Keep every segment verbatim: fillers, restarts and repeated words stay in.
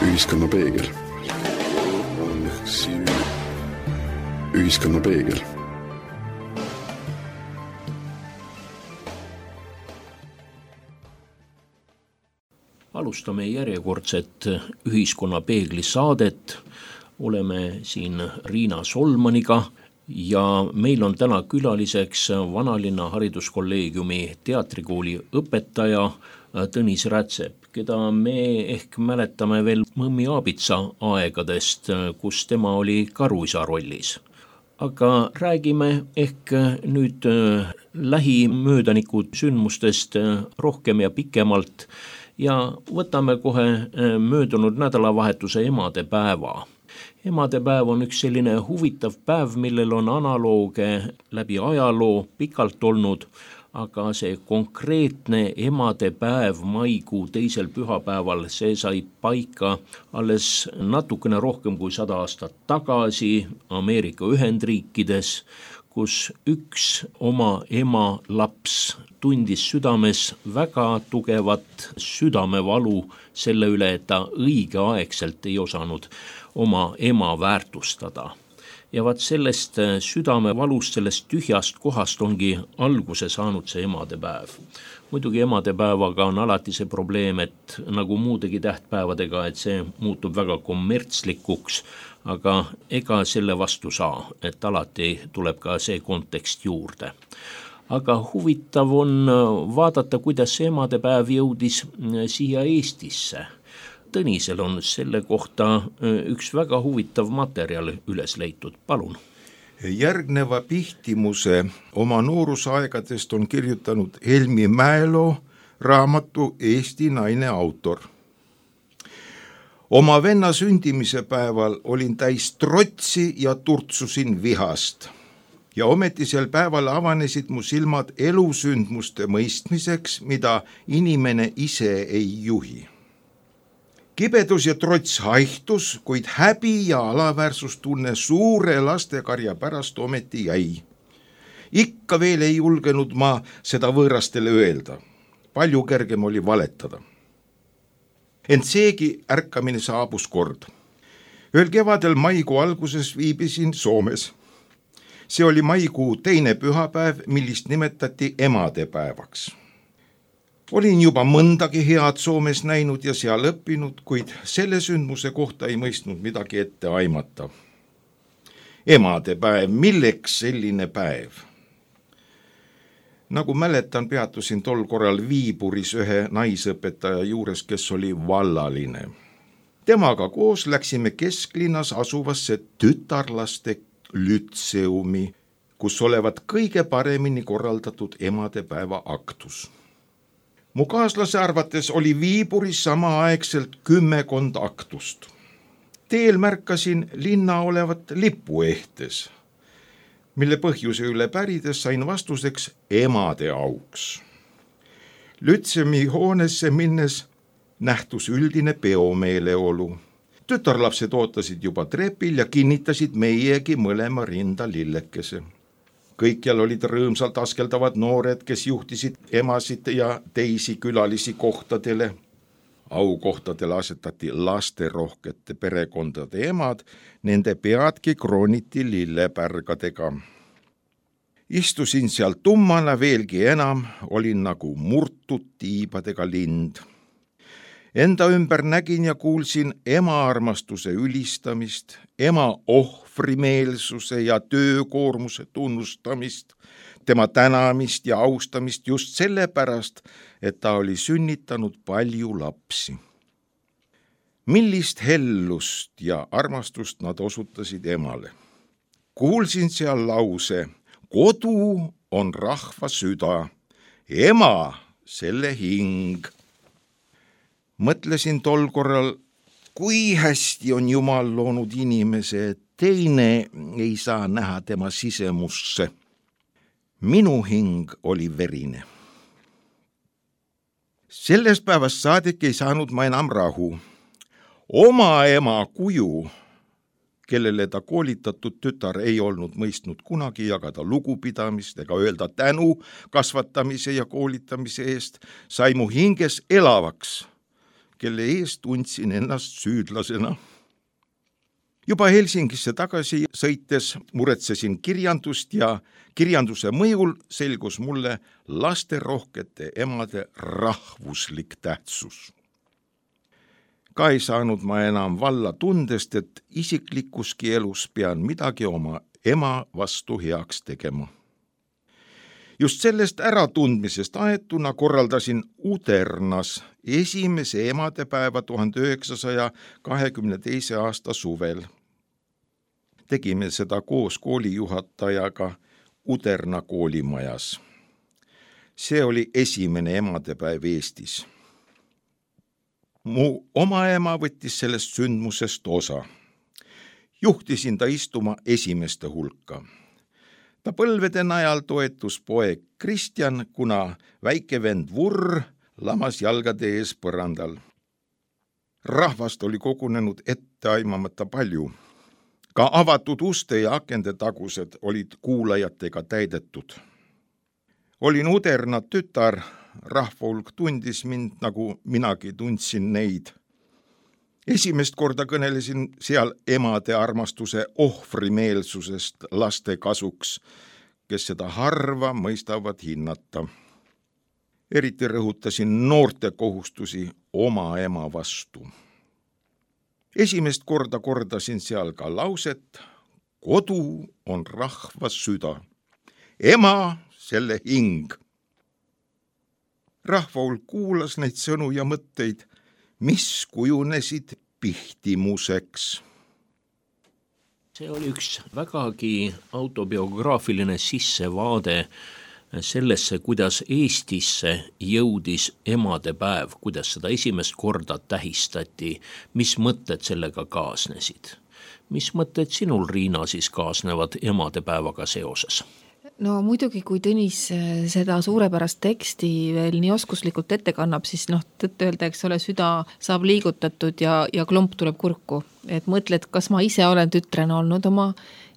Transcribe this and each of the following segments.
Ühiskonna peegel. Ühiskonna peegel. Alustame järjekordset Ühiskonna peegli saadet. Oleme siin Riina Solmaniga ja meil on täna külaliseks Vanalinna hariduskolleegiumi teatrikooli õpetaja Tõnis Rätsep, keda me ehk mäletame veel Mõmmi Aabitsa aegadest, kus tema oli karuisa rollis. Aga räägime ehk nüüd lähimöödanikud sündmustest rohkem ja pikemalt ja võtame kohe möödunud nädalavahetuse emadepäeva. Emadepäev on üks selline huvitav päev, millel on analooge läbi ajaloo pikalt olnud, aga see konkreetne emadepäev maikuu teisel pühapäeval, see sai paika alles natukene rohkem kui sada aastat tagasi Ameerika Ühendriikides, kus üks oma ema laps tundis südames väga tugevat südamevalu selle üle, et ta õigeaegselt ei osanud oma ema väärtustada. Ja vaat sellest südamevalust, sellest tühjast kohast ongi alguse saanud see emadepäev. Muidugi emadepäevaga on alati see probleem, et nagu muudegi tähtpäevadega, et see muutub väga kommertslikuks, aga ega selle vastu saa, et alati tuleb ka see kontekst juurde. Aga huvitav on vaadata, kuidas see emadepäev jõudis siia Eestisse. Tõnisel on selle kohta üks väga huvitav materjal üles leitud. Palun. Järgneva Pihtimuse oma noorusaegadest on kirjutanud Helmi Mäelo raamatu Eesti naine autor. Oma venna sündimise päeval olin täis trotsi ja turtsusin vihast. Ja ometi sel päeval avanesid mu silmad elusündmuste mõistmiseks, mida inimene ise ei juhi. Kibedus ja trots haihtus, kuid häbi ja alaväärsustunne suure lastekarja pärast ometi jäi. Ikka veel ei julgenud ma seda võõrastele öelda. Palju kergem oli valetada. Ent seegi ärkamine saabus kord. Ööl kevadel maikuu alguses viibisin Soomes. See oli maikuu teine pühapäev, millist nimetati emadepäevaks. Olin juba mõndagi head Soomes näinud ja seal õppinud, kuid selle sündmuse kohta ei mõistnud midagi ette aimata. Emadepäev, milleks selline päev? Nagu mäletan, peatusin tol korral Viiburis ühe naisõpetaja juures, kes oli vallaline. Temaga koos läksime kesklinnas asuvasse tütarlaste lütseumi, kus olevat kõige paremini korraldatud emadepäeva aktus. Mu kaaslase arvates oli Viiburis samaaegselt kümmekond aktust. Teel märkasin linna olevat lipuehtes, mille põhjuse üle pärides sain vastuseks emade auks. Lütsemi hoonesse minnes nähtus üldine peomeeleolu. Tütarlapsed ootasid juba trepil ja kinnitasid meiegi mõlema rinda lillekese. Kõikjal olid rõõmsalt askeldavad noored, kes juhtisid emasid ja teisi külalisi kohtadele. Aukohtadele asetati lasterohkete perekondade emad, nende peadki krooniti lillepärgadega. Istusin seal tummana, veelgi enam, olin nagu murtud tiibadega lind. Enda ümber nägin ja kuulsin ema armastuse ülistamist, ema ohvrimeelsuse ja töökoormuse tunnustamist, tema tänamist ja austamist just sellepärast, et ta oli sünnitanud palju lapsi. Millist hellust ja armastust nad osutasid emale. Kuulsin seal lause, kodu on rahva süda, ema selle hing. Mõtlesin tol korral, kui hästi on Jumal loonud inimese, et teine ei saa näha tema sisemusse. Minu hing oli verine. Sellest päevast saadik ei saanud ma enam rahu. Oma ema kuju, kellele ta koolitatud tütar ei olnud mõistnud kunagi jagada lugupidamist ega öelda tänu kasvatamise ja koolitamise eest, sai mu hinges elavaks, kelle eest tundsin ennast süüdlasena. Juba Helsingisse tagasi sõites muretsesin kirjandust ja kirjanduse mõjul selgus mulle lasterohkete emade rahvuslik tähtsus. Ka ei saanud ma enam valla tundest, et isiklikuski elus pean midagi oma ema vastu heaks tegema. Just sellest äratundmisest aetuna korraldasin Udernas esimese emadepäeva tuhande üheksasaja kahekümne teise aasta suvel. Tegime seda koos koolijuhatajaga Uderna koolimajas. See oli esimene emadepäev Eestis. Mu oma ema võttis sellest sündmusest osa. Juhtisin ta istuma esimeste hulka. Ta põlvede najal toetus poeg Kristjan, kuna väike vend Vurr lamas jalgade ees põrandal. Rahvast oli kogunenud etteaimamata palju. Ka avatud uste ja akende tagused olid kuulajatega täidetud. Olin Uderna tütar, rahvahulk tundis mind, nagu minagi tundsin neid. Esimest korda kõnelesin seal emade armastuse ohvrimeelsusest laste kasuks, kes seda harva mõistavad hinnata. Eriti rõhutasin noorte kohustusi oma ema vastu. Esimest korda kordasin seal ka lauset: kodu on rahva süda, ema selle hing. Rahvahulk kuulas neid sõnu ja mõtteid, mis kujunesid pihtimuseks. See oli üks vägagi autobiograafiline sissevaade sellesse, kuidas Eestisse jõudis emadepäev, kuidas seda esimest korda tähistati, mis mõtted sellega kaasnesid. Mis mõtted sinul, Riina, siis kaasnevad emadepäevaga seoses? No muidugi, kui Tõnis seda suurepärast teksti veel nii oskuslikult ette kannab, siis noh, tõtt öelda, eks ole, süda saab liigutatud ja, ja klomp tuleb kurku. Et mõtled, kas ma ise olen tütrena olnud oma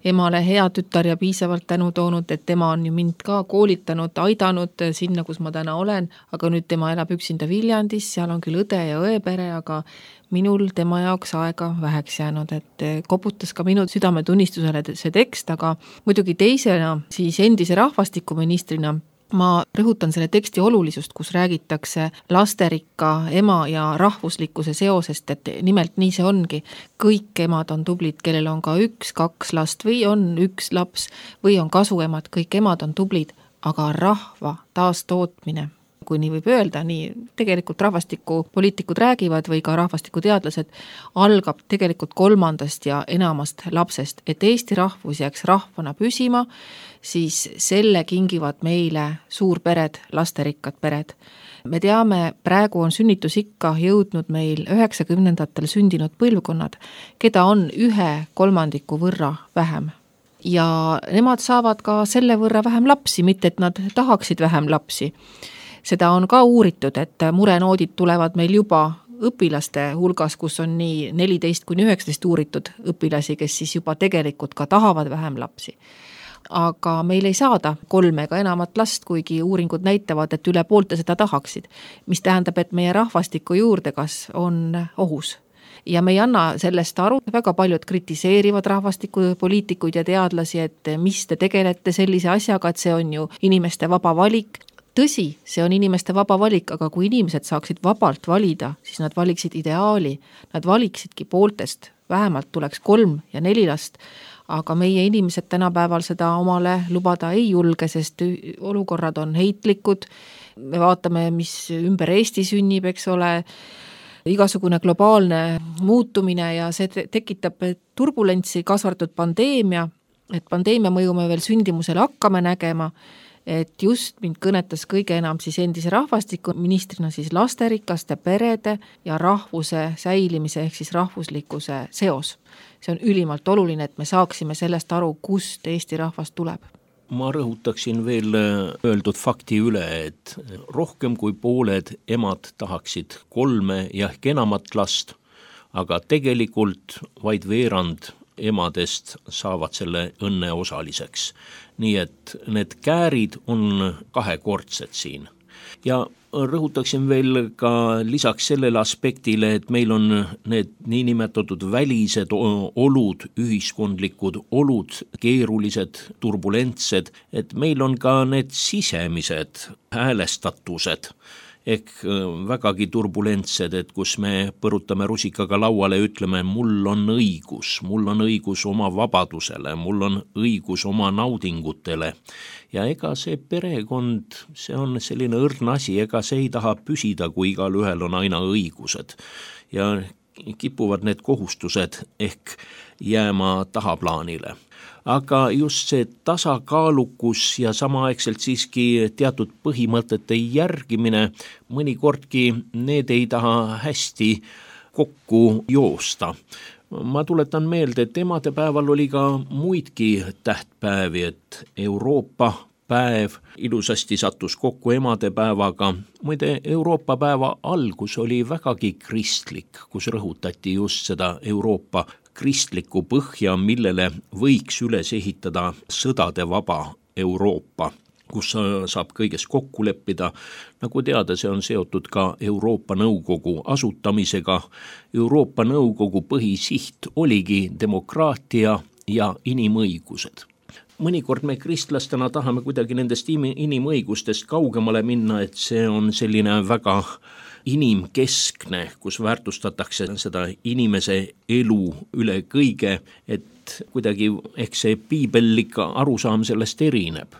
emale hea tütar ja piisavalt tänu toonud, et tema on ju mind ka koolitanud, aidanud sinna, kus ma täna olen, aga nüüd tema elab üksinda Viljandis, seal on küll õde ja õepere, aga minul tema jaoks aega väheks jäänud, et koputas ka minu südametunnistusele see tekst, aga muidugi teisena siis endise rahvastikuministrina ma rõhutan selle teksti olulisust, kus räägitakse lasterikka ema ja rahvuslikkuse seosest, et nimelt nii see ongi. Kõik emad on tublid, kellel on ka üks, kaks last või on üks laps või on kasuemad, kõik emad on tublid, aga rahva taastootmine, kui nii võib öelda, nii tegelikult rahvastikupoliitikud räägivad või ka rahvastikuteadlased, algab tegelikult kolmandast ja enamast lapsest, et Eesti rahvus jääks rahvana püsima, siis selle kingivad meile suurpered, lasterikkad pered. Me teame, praegu on sünnitusikka jõudnud meil üheksakümnendatel sündinud põlvkonnad, keda on ühe kolmandiku võrra vähem. Ja nemad saavad ka selle võrra vähem lapsi, mitte et nad tahaksid vähem lapsi. Seda on ka uuritud, et murenoodid tulevad meil juba õpilaste hulgas, kus on nii neliteist kuni üheksateist uuritud õpilasi, kes siis juba tegelikult ka tahavad vähem lapsi. Aga meil ei saada kolme ega enamat last, kuigi uuringud näitavad, et üle poolte seda tahaksid, mis tähendab, et meie rahvastiku juurdekasv on ohus. Ja me ei anna sellest aru, väga paljud kritiseerivad rahvastikupoliitikuid ja teadlasi, et mis te tegelete sellise asjaga, et see on ju inimeste vaba valik. Tõsi, see on inimeste vaba valik, aga kui inimesed saaksid vabalt valida, siis nad valiksid ideaali, nad valiksidki pooltest, vähemalt tuleks kolm ja neli last, aga meie inimesed tänapäeval seda omale lubada ei julge, sest olukorrad on heitlikud, me vaatame, mis ümber Eesti sünnib, eks ole, igasugune globaalne muutumine ja see tekitab turbulentsi, kasvartud pandeemia, et pandeemia mõju me veel sündimusele hakkame nägema, et just mind kõnetas kõige enam siis endise rahvastikuministrina siis lasterikaste perede ja rahvuse säilimise ehk siis rahvuslikkuse seos. See on ülimalt oluline, et me saaksime sellest aru, kust Eesti rahvast tuleb. Ma rõhutaksin veel öeldud fakti üle, et rohkem kui pooled emad tahaksid kolme ja ehk enamat last, aga tegelikult vaid veerand emadest saavad selle õnne osaliseks. Nii et need käärid on kahekordsed siin. Ja rõhutaksin veel ka lisaks sellele aspektile, et meil on need niinimetatud välised olud, ühiskondlikud olud, keerulised, turbulentsed, et meil on ka need sisemised häälestatused ehk vägagi turbulentsed, et kus me põrutame rusikaga lauale ja ütleme, mul on õigus, mul on õigus oma vabadusele, mul on õigus oma naudingutele. Ja ega see perekond, see on selline õrn asi, ega see ei taha püsida, kui igal ühel on aina õigused. Ja kipuvad need kohustused ehk jääma tahaplaanile. Aga just see tasakaalukus ja samaaegselt siiski teatud põhimõtete järgimine, mõnikordki need ei taha hästi kokku joosta. Ma tuletan meelde, et emadepäeval oli ka muidki tähtpäevi, et Euroopa päev ilusasti sattus kokku emadepäevaga. Muide, Euroopa päeva algus oli vägagi kristlik, kus rõhutati just seda Euroopa kristlikku põhja, millele võiks üles ehitada sõdade vaba Euroopa, kus saab kõiges kokku leppida. Nagu teada, see on seotud ka Euroopa Nõukogu asutamisega. Euroopa Nõukogu põhisiht oligi demokraatia ja inimõigused. Mõnikord me kristlastena tahame kuidagi nendest inimõigustest kaugemale minna, et see on selline väga inimkeskne, kus väärtustatakse seda inimese elu üle kõige, et kuidagi ehk see piibellik arusaam sellest erineb.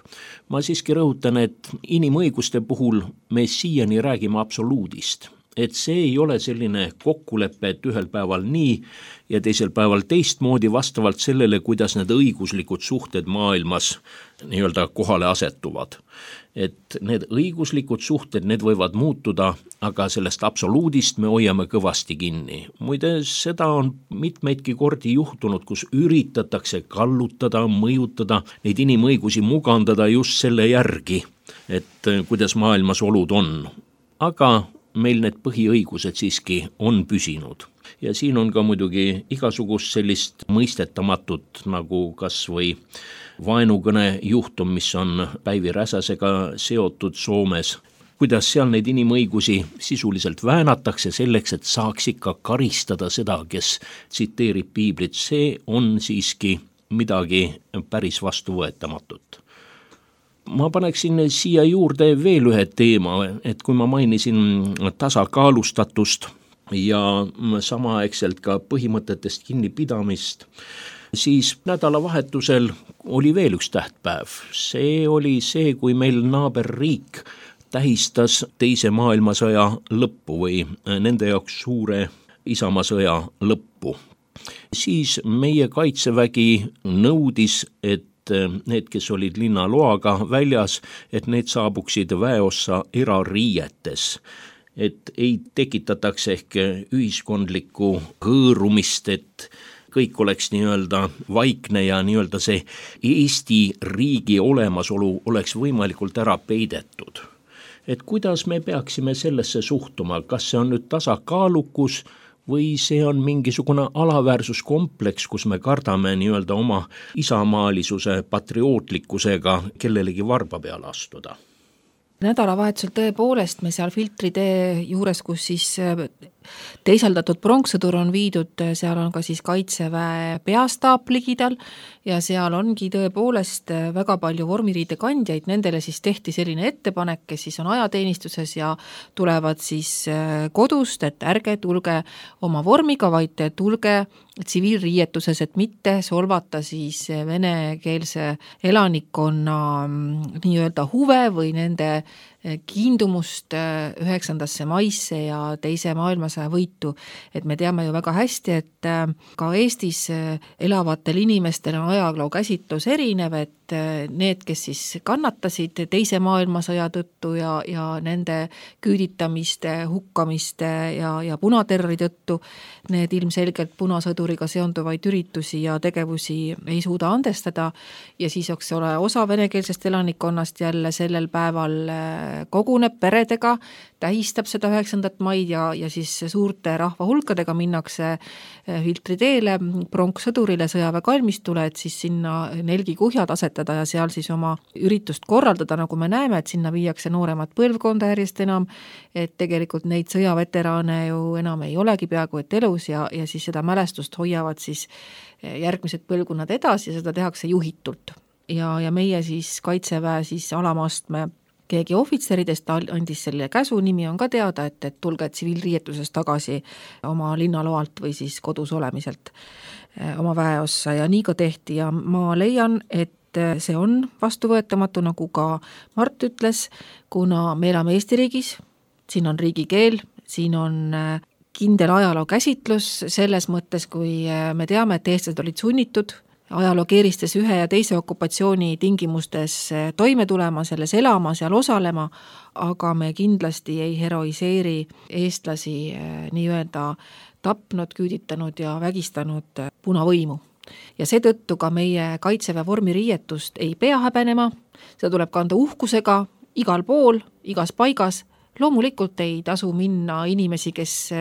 Ma siiski rõhutan, et inimõiguste puhul me siiani räägime absoluudist. Et see ei ole selline kokkulepe, et ühel päeval nii ja teisel päeval teistmoodi vastavalt sellele, kuidas need õiguslikud suhted maailmas nii-öelda kohale asetuvad. Et need õiguslikud suhted, need võivad muutuda, aga sellest absoluudist me hoiame kõvasti kinni. Muide, seda on mitmeidki kordi juhtunud, kus üritatakse kallutada, mõjutada, neid inimõigusi mugandada just selle järgi, et kuidas maailmas olud on. Aga meil need põhiõigused siiski on püsinud. Ja siin on ka muidugi igasugust sellist mõistetamatut, nagu kas või vaenukõne juhtum, mis on Päivi Räsäsega seotud Soomes, kuidas seal neid inimõigusi sisuliselt väänatakse selleks, et saaks ikka karistada seda, kes tsiteerib piiblit. See on siiski midagi päris vastuvõetamatut. Ma paneksin siia juurde veel ühe teema, et kui ma mainisin tasakaalustatust ja samaaegselt ka põhimõtetest kinnipidamist, siis nädalavahetusel oli veel üks tähtpäev. See oli see, kui meil naaberriik tähistas teise maailmasõja lõppu või nende jaoks suure isamaasõja lõppu. Siis meie kaitsevägi nõudis, et need, kes olid linnaloaga väljas, et need saabuksid väeossa erariietes, et ei tekitataks ehk ühiskondlikku hõõrumist, et kõik oleks nii-öelda vaikne ja nii-öelda see Eesti riigi olemasolu oleks võimalikult ära peidetud. Et kuidas me peaksime sellesse suhtuma, kas see on nüüd tasakaalukus või see on mingisugune alaväärsuskompleks, kus me kardame nii-öelda oma isamaalisuse patriootlikkusega kellelegi varba peale astuda? Nädalavahetusel tõepoolest me seal filtritee juures, kus siis teisaldatud pronkssõdur on viidud, seal on ka siis kaitseväe peastaap ligidal ja seal ongi tõepoolest väga palju vormiriide kandjaid, nendele siis tehti selline ettepanek, kes siis on ajateenistuses ja tulevad siis kodust, et ärge tulge oma vormiga, vaid tulge tsiviilriietuses, et mitte solvata siis venekeelse elanikkonna nii-öelda huve või nende kiindumust üheksandasse maisse ja teise maailmasõja võitu. Et me teame ju väga hästi, et ka Eestis elavatel inimestel on ajaloo käsitlus erinev, et need, kes siis kannatasid teise maailmasõja tõttu ja, ja nende küüditamiste, hukkamiste ja, ja punaterrori tõttu, need ilmselgelt punasõduriga seonduvaid üritusi ja tegevusi ei suuda andestada ja siis oleks ole osa venekeelsest elanikkonnast jälle sellel päeval koguneb peredega, tähistab seda üheksandat maid ja, ja siis suurte rahvahulkadega minnakse filtriteele, pronkssõdurile sõjaväekalmistule, et siis sinna nelgikuhjad asetada ja seal siis oma üritust korraldada, nagu me näeme, et sinna viiakse nooremat põlvkonda järjest enam, et tegelikult neid sõjaveteraane ju enam ei olegi peaaegu et elus ja, ja siis seda mälestust hoiavad siis järgmised põlvkonnad edasi ja seda tehakse juhitult. Ja, ja meie siis Kaitseväe siis alamastme keegi ohvitseridest andis selle käsu, nimi on ka teada, et, et tulge tsiviilriietuses tagasi oma linnaloalt või siis kodus olemiselt oma väeossa ja nii ka tehti ja ma leian, et see on vastuvõetamatu, nagu ka Mart ütles, kuna me elame Eesti riigis, siin on riigikeel, siin on kindel ajaloo käsitlus selles mõttes, kui me teame, et eestlased olid sunnitud ajaloo keeristes ühe ja teise okupatsiooni tingimustes toime tulema, selles elama, seal osalema, aga me kindlasti ei heroiseeri eestlasi nii-öelda tapnud, küüditanud ja vägistanud punavõimu. Ja seetõttu ka meie Kaitseväe vormiriietust ei pea häbenema, seda tuleb kanda uhkusega igal pool, igas paigas. Loomulikult ei tasu minna inimesi, kes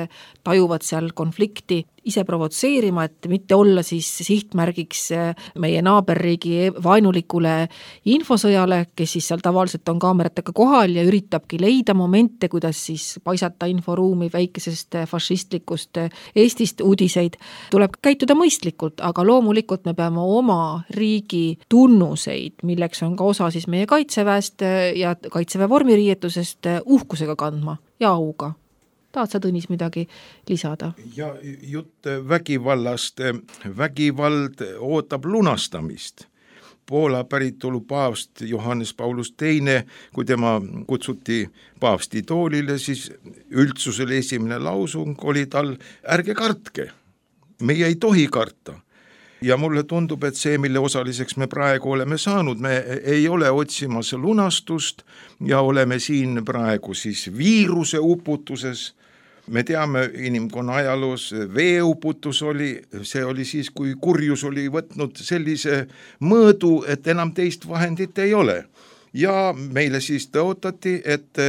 tajuvad seal konflikti ise provotseerima, et mitte olla siis sihtmärgiks meie naaberriigi vaenulikule infosõjale, kes siis seal tavaliselt on kaameratega kohal ja üritabki leida momente, kuidas siis paisata inforuumi väikesest fašistlikust Eestist uudiseid. Tuleb käituda mõistlikult, aga loomulikult me peame oma riigi tunnuseid, milleks on ka osa siis meie Kaitseväest ja Kaitseväe vormiriietusest uhkusega kandma ja auga. Tahad sa, Tõnis, midagi lisada? Ja jutt vägivallast. Vägivald ootab lunastamist. Poola päritolu paavst Johannes Paulus teine, kui tema kutsuti paavsti toolile, siis üldsusele esimene lausung oli tal, ärge kartke, meie ei tohi karta. Ja mulle tundub, et see, mille osaliseks me praegu oleme saanud, me ei ole otsimas lunastust ja oleme siin praegu siis viiruse uputuses. Me teame, inimkonna ajaloos veeuputus oli, see oli siis, kui kurjus oli võtnud sellise mõõdu, et enam teist vahendit ei ole. Ja meile siis tõotati, et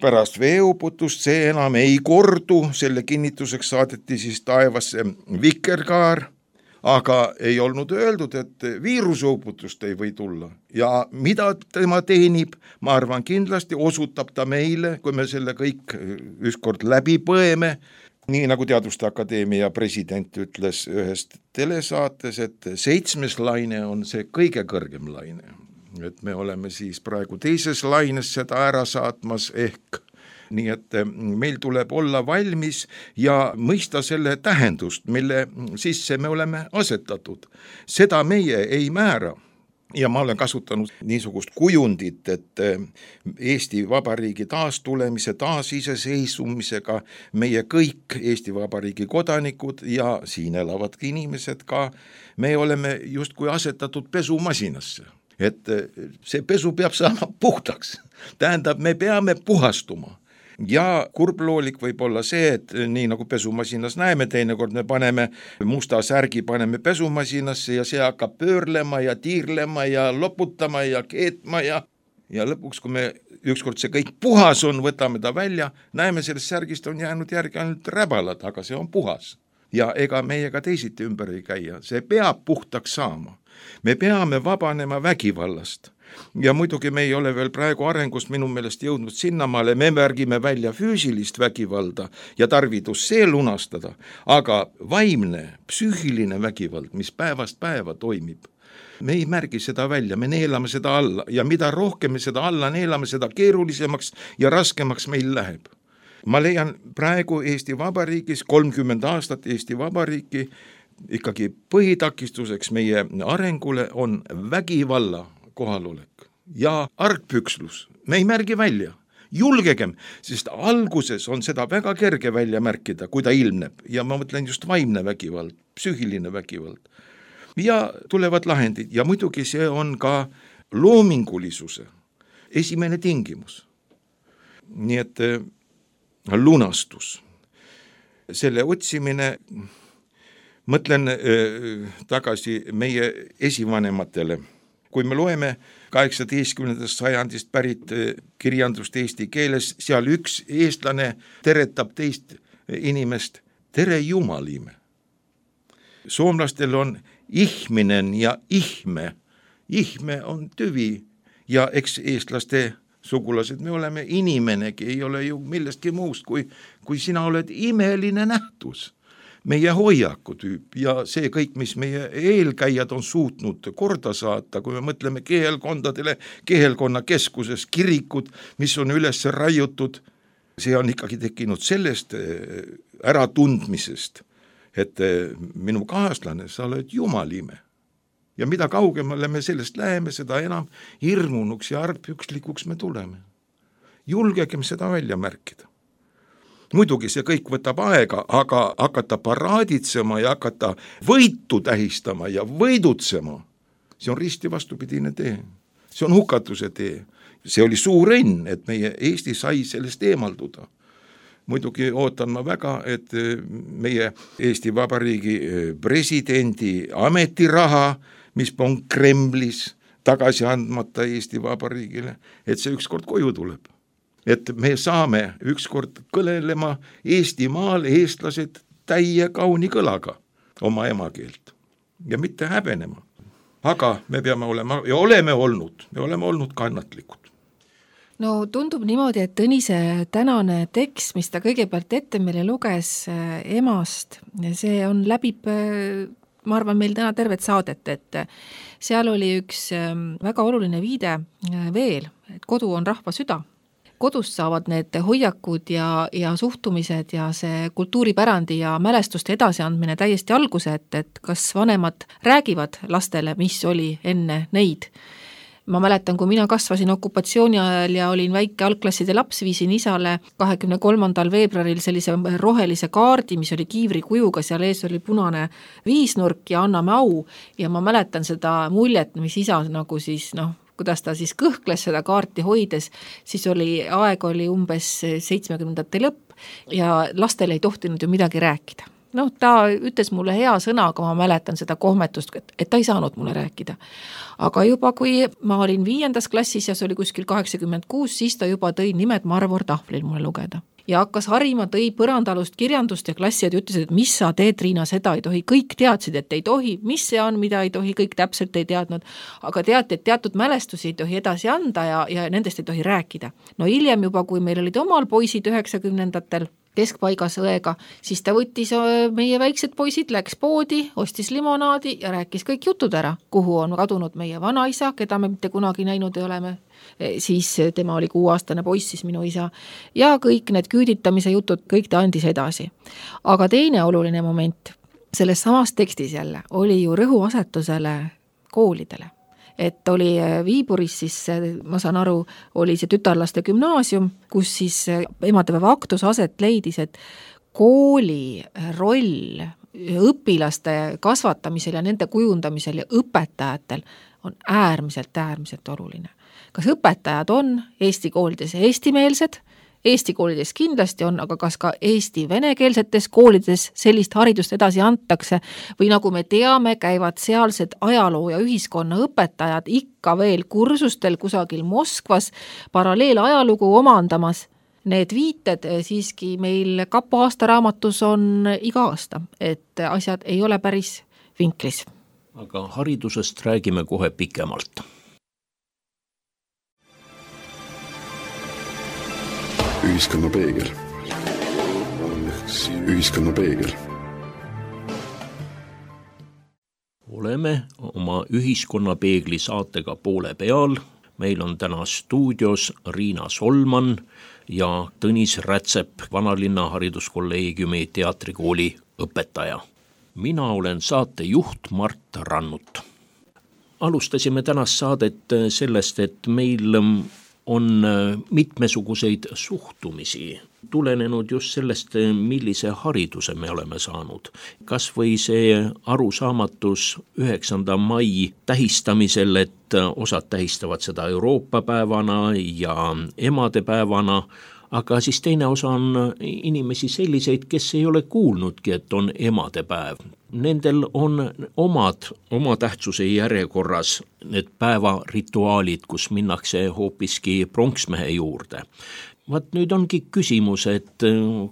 pärast veeuputust see enam ei kordu, selle kinnituseks saadeti siis taevasse vikerkaar, aga ei olnud öeldud, et viirusuputust ei või tulla. Ja mida tema teenib, ma arvan kindlasti osutab ta meile, kui me selle kõik ükskord läbi põeme, nii nagu Teaduste Akadeemia president ütles ühest telesaates, et seitsmes laine on see kõige kõrgem laine. Et me oleme siis praegu teises laines seda ära saatmas ehk nii et meil tuleb olla valmis ja mõista selle tähendust, mille sisse me oleme asetatud. Seda meie ei määra. Ja ma olen kasutanud niisugust kujundit, et Eesti Vabariigi taastulemise, taasiseseisvumisega meie kõik Eesti Vabariigi kodanikud ja siin elavad inimesed ka, me oleme justkui asetatud pesumasinasse. Et see pesu peab saama puhtaks. Tähendab, me peame puhastuma. Ja kurbloolik võib olla see, et nii nagu pesumasinas näeme, teinekord me paneme musta särgi, paneme pesumasinasse ja see hakkab pöörlema ja tiirlema ja loputama ja keetma ja, ja lõpuks, kui me ükskord see kõik puhas on, võtame ta välja, näeme sellest särgist on jäänud järgi ainult räbalad, aga see on puhas. Ja ega meiega teisiti ümber ei käia, see peab puhtaks saama. Me peame vabanema vägivallast. Ja muidugi me ei ole veel praegu arengust minu meelest jõudnud sinnamaale, me märgime välja füüsilist vägivalda ja tarvidus see lunastada, aga vaimne, psüühiline vägivald, mis päevast päeva toimib, me ei märgi seda välja, me neelame seda alla ja mida rohkem me seda alla neelame, seda keerulisemaks ja raskemaks meil läheb. Ma leian praegu Eesti Vabariigis, kolmkümmend aastat Eesti Vabariiki, ikkagi põhitakistuseks meie arengule on vägivalla kohalolek ja argpükslus. Me ei märgi välja. Julgegem, sest alguses on seda väga kerge välja märkida, kui ta ilmneb. Ja ma mõtlen just vaimne vägivald, psüühiline vägivald. Ja tulevad lahendid ja muidugi see on ka loomingulisuse esimene tingimus. Nii et lunastus. Selle otsimine, mõtlen tagasi meie esivanematele. kui me loeme kaheksateistkümnendast sajandist pärit kirjandust eesti keeles, seal üks eestlane teretab teist inimest, tere jumalime. Soomlastel on ihminen ja ihme. Ihme on tüvi ja eks eestlaste sugulased, me oleme inimenegi, ei ole ju millestki muust, kui, kui sina oled imeline nähtus. Meie hoiakutüüp ja see kõik, mis meie eelkäijad on suutnud korda saata, kui me mõtleme kehelkondadele, kehelkonna keskuses kirikud, mis on üles raiutud, see on ikkagi tekkinud sellest äratundmisest, et minu kaaslane, sa oled jumalime. Ja mida kaugemale me sellest läheme, seda enam hirmunuks ja argpükslikuks me tuleme. Julgegem seda välja märkida. Muidugi see kõik võtab aega, aga hakata paraaditsema ja hakata võitu tähistama ja võidutsema, see on risti vastupidine tee. See on hukatuse tee. See oli suur õnn, et meie Eesti sai sellest eemalduda. Muidugi ootan ma väga, et meie Eesti Vabariigi presidendi ametiraha, mis on Kremlis tagasi andmata Eesti Vabariigile, et see ükskord koju tuleb. Et me saame ükskord kõlelema Eestimaal eestlased täie kauni kõlaga oma emakeelt ja mitte häbenema. Aga me peame olema ja oleme olnud, me oleme olnud kannatlikud. No tundub niimoodi, et Tõnise tänane tekst, mis ta kõigepealt ette meile luges emast, see on läbib, ma arvan, meil täna tervet saadet, et seal oli üks väga oluline viide veel, et kodu on rahva süda. Kodust saavad need hoiakud ja, ja suhtumised ja see kultuuripärandi ja mälestuste edasiandmine täiesti alguse, et, et kas vanemad räägivad lastele, mis oli enne neid. Ma mäletan, kui mina kasvasin okupatsiooni ajal ja olin väike algklasside laps, viisin isale kahekümne kolmandal veebruaril sellise rohelise kaardi, mis oli kiivri kujuga, seal ees oli punane viisnurk ja anname au. Ja ma mäletan seda muljet, mis isa nagu siis, noh, kuidas ta siis kõhkles seda kaarti hoides, siis oli, aeg oli umbes seitsmekümnendate lõpp ja lastel ei tohtinud ju midagi rääkida. Noh, ta ütles mulle hea sõna, aga ma mäletan seda kohmetust, et, et ta ei saanud mulle rääkida. Aga juba kui ma olin viiendas klassis ja see oli kuskil kaheksakümmend kuus, siis ta juba tõi nimed Marvor tahvlil mulle lugeda. Ja hakkas harima, tõi põrandalust kirjandust ja klassijad ütlesid, et mis sa teed, Riina, seda ei tohi. Kõik teadsid, et ei tohi, mis see on, mida ei tohi, kõik täpselt ei teadnud. Aga teati, et teatud mälestusi ei tohi edasi anda ja, ja nendest ei tohi rääkida. No hiljem juba, kui meil olid omal poisid üheksakümnendatel keskpaigas õega, siis ta võttis meie väiksed poisid, läks poodi, ostis limonaadi ja rääkis kõik jutud ära, kuhu on kadunud meie vanaisa, keda me mitte kunagi näinud ei oleme. Siis tema oli kuuaastane poiss, siis minu isa. Ja kõik need küüditamise jutud, kõik ta andis edasi. Aga teine oluline moment selles samas tekstis jälle oli ju rõhuasetusele koolidele. Et oli Viiburis siis, ma saan aru, oli see tütarlaste gümnaasium, kus siis emadepäeva aktus aset leidis, et kooli roll õpilaste kasvatamisel ja nende kujundamisel ja õpetajatel on äärmiselt, äärmiselt oluline. Kas õpetajad on Eesti koolides eestimeelsed? Eesti koolides kindlasti on, aga kas ka Eesti venekeelsetes koolides sellist haridust edasi antakse või nagu me teame, käivad sealsed ajaloo ja ühiskonna õpetajad ikka veel kursustel kusagil Moskvas paralleel ajalugu omandamas. Need viited siiski meil Kapo aastaraamatus on iga aasta, et asjad ei ole päris vinklis. Aga haridusest räägime kohe pikemalt. Ühiskonna peegel. Ühiskonna peegel. Oleme oma ühiskonna peegli saatega poole peal. Meil on täna stuudios Riina Solman ja Tõnis Rätsep, Vanalinna hariduskolleegiumi teatrikooli õpetaja. Mina olen saate juht Mart Rannut. Alustasime tänast saadet sellest, et meil on mitmesuguseid suhtumisi tulenenud just sellest, millise hariduse me oleme saanud. Kas või see arusaamatus üheksanda mai tähistamisel, et osad tähistavad seda Euroopa päevana ja emadepäevana, aga siis teine osa on inimesi selliseid, kes ei ole kuulnudki, et on emadepäev. Nendel on omad, oma tähtsuse järjekorras need päevarituaalid, kus minnakse hoopiski pronksmehe juurde. Vaat nüüd ongi küsimus, et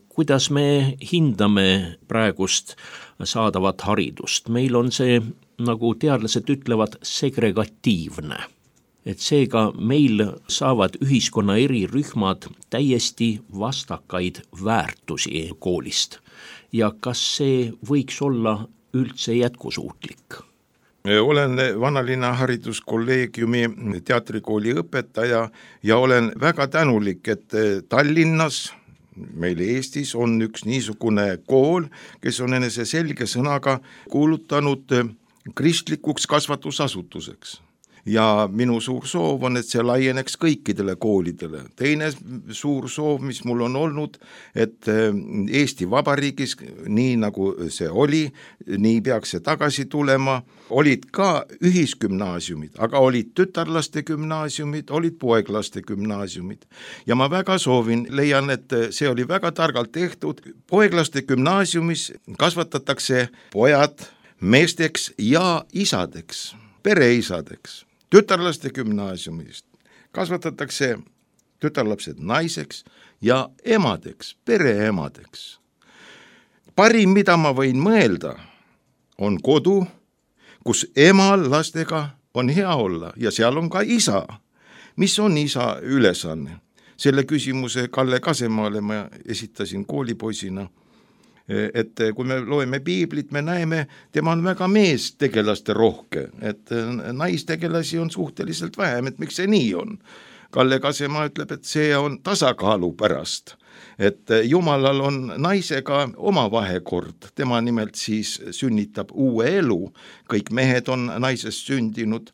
kuidas me hindame praegust saadavat haridust. Meil on see, nagu teadlased ütlevad, segregatiivne. Et seega meil saavad ühiskonna eri rühmad täiesti vastakaid väärtusi koolist. Ja kas see võiks olla üldse jätkusuutlik? Olen Vanalinna hariduskolleegiumi teatrikooli õpetaja ja olen väga tänulik, et Tallinnas, meil Eestis on üks niisugune kool, kes on enese selge sõnaga kuulutanud kristlikuks kasvatusasutuseks. Ja minu suur soov on, et see laieneks kõikidele koolidele. Teine suur soov, mis mul on olnud, et Eesti Vabariigis, nii nagu see oli, nii peaks see tagasi tulema, olid ka ühisgümnaasiumid, aga olid tütarlaste gümnaasiumid, olid poeglaste gümnaasiumid. Ja ma väga soovin, leian, et see oli väga targalt tehtud. Poeglaste gümnaasiumis kasvatatakse pojad meesteks ja isadeks, pereisadeks. Tütarlaste gümnaasiumist kasvatatakse tütarlapsed naiseks ja emadeks, pereemadeks. Parim, mida ma võin mõelda, on kodu, kus emal lastega on hea olla ja seal on ka isa. Mis on isa ülesanne? Selle küsimuse Kalle Kasemaale ma esitasin koolipoisina. Et kui me loeme piiblit, me näeme, tema on väga meestegelaste rohke, et naistegelasi on suhteliselt vähem, et miks see nii on. Kalle Kasema ütleb, et see on tasakaalu pärast, et Jumalal on naisega oma vahekord, tema nimelt siis sünnitab uue elu, kõik mehed on naisest sündinud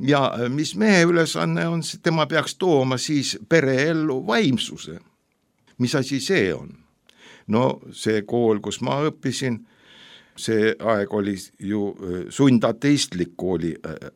ja mis mehe ülesanne on, tema peaks tooma siis pereellu vaimsuse. Mis asi see on? No see kool, kus ma õppisin, see aeg oli ju sundateistlik kooli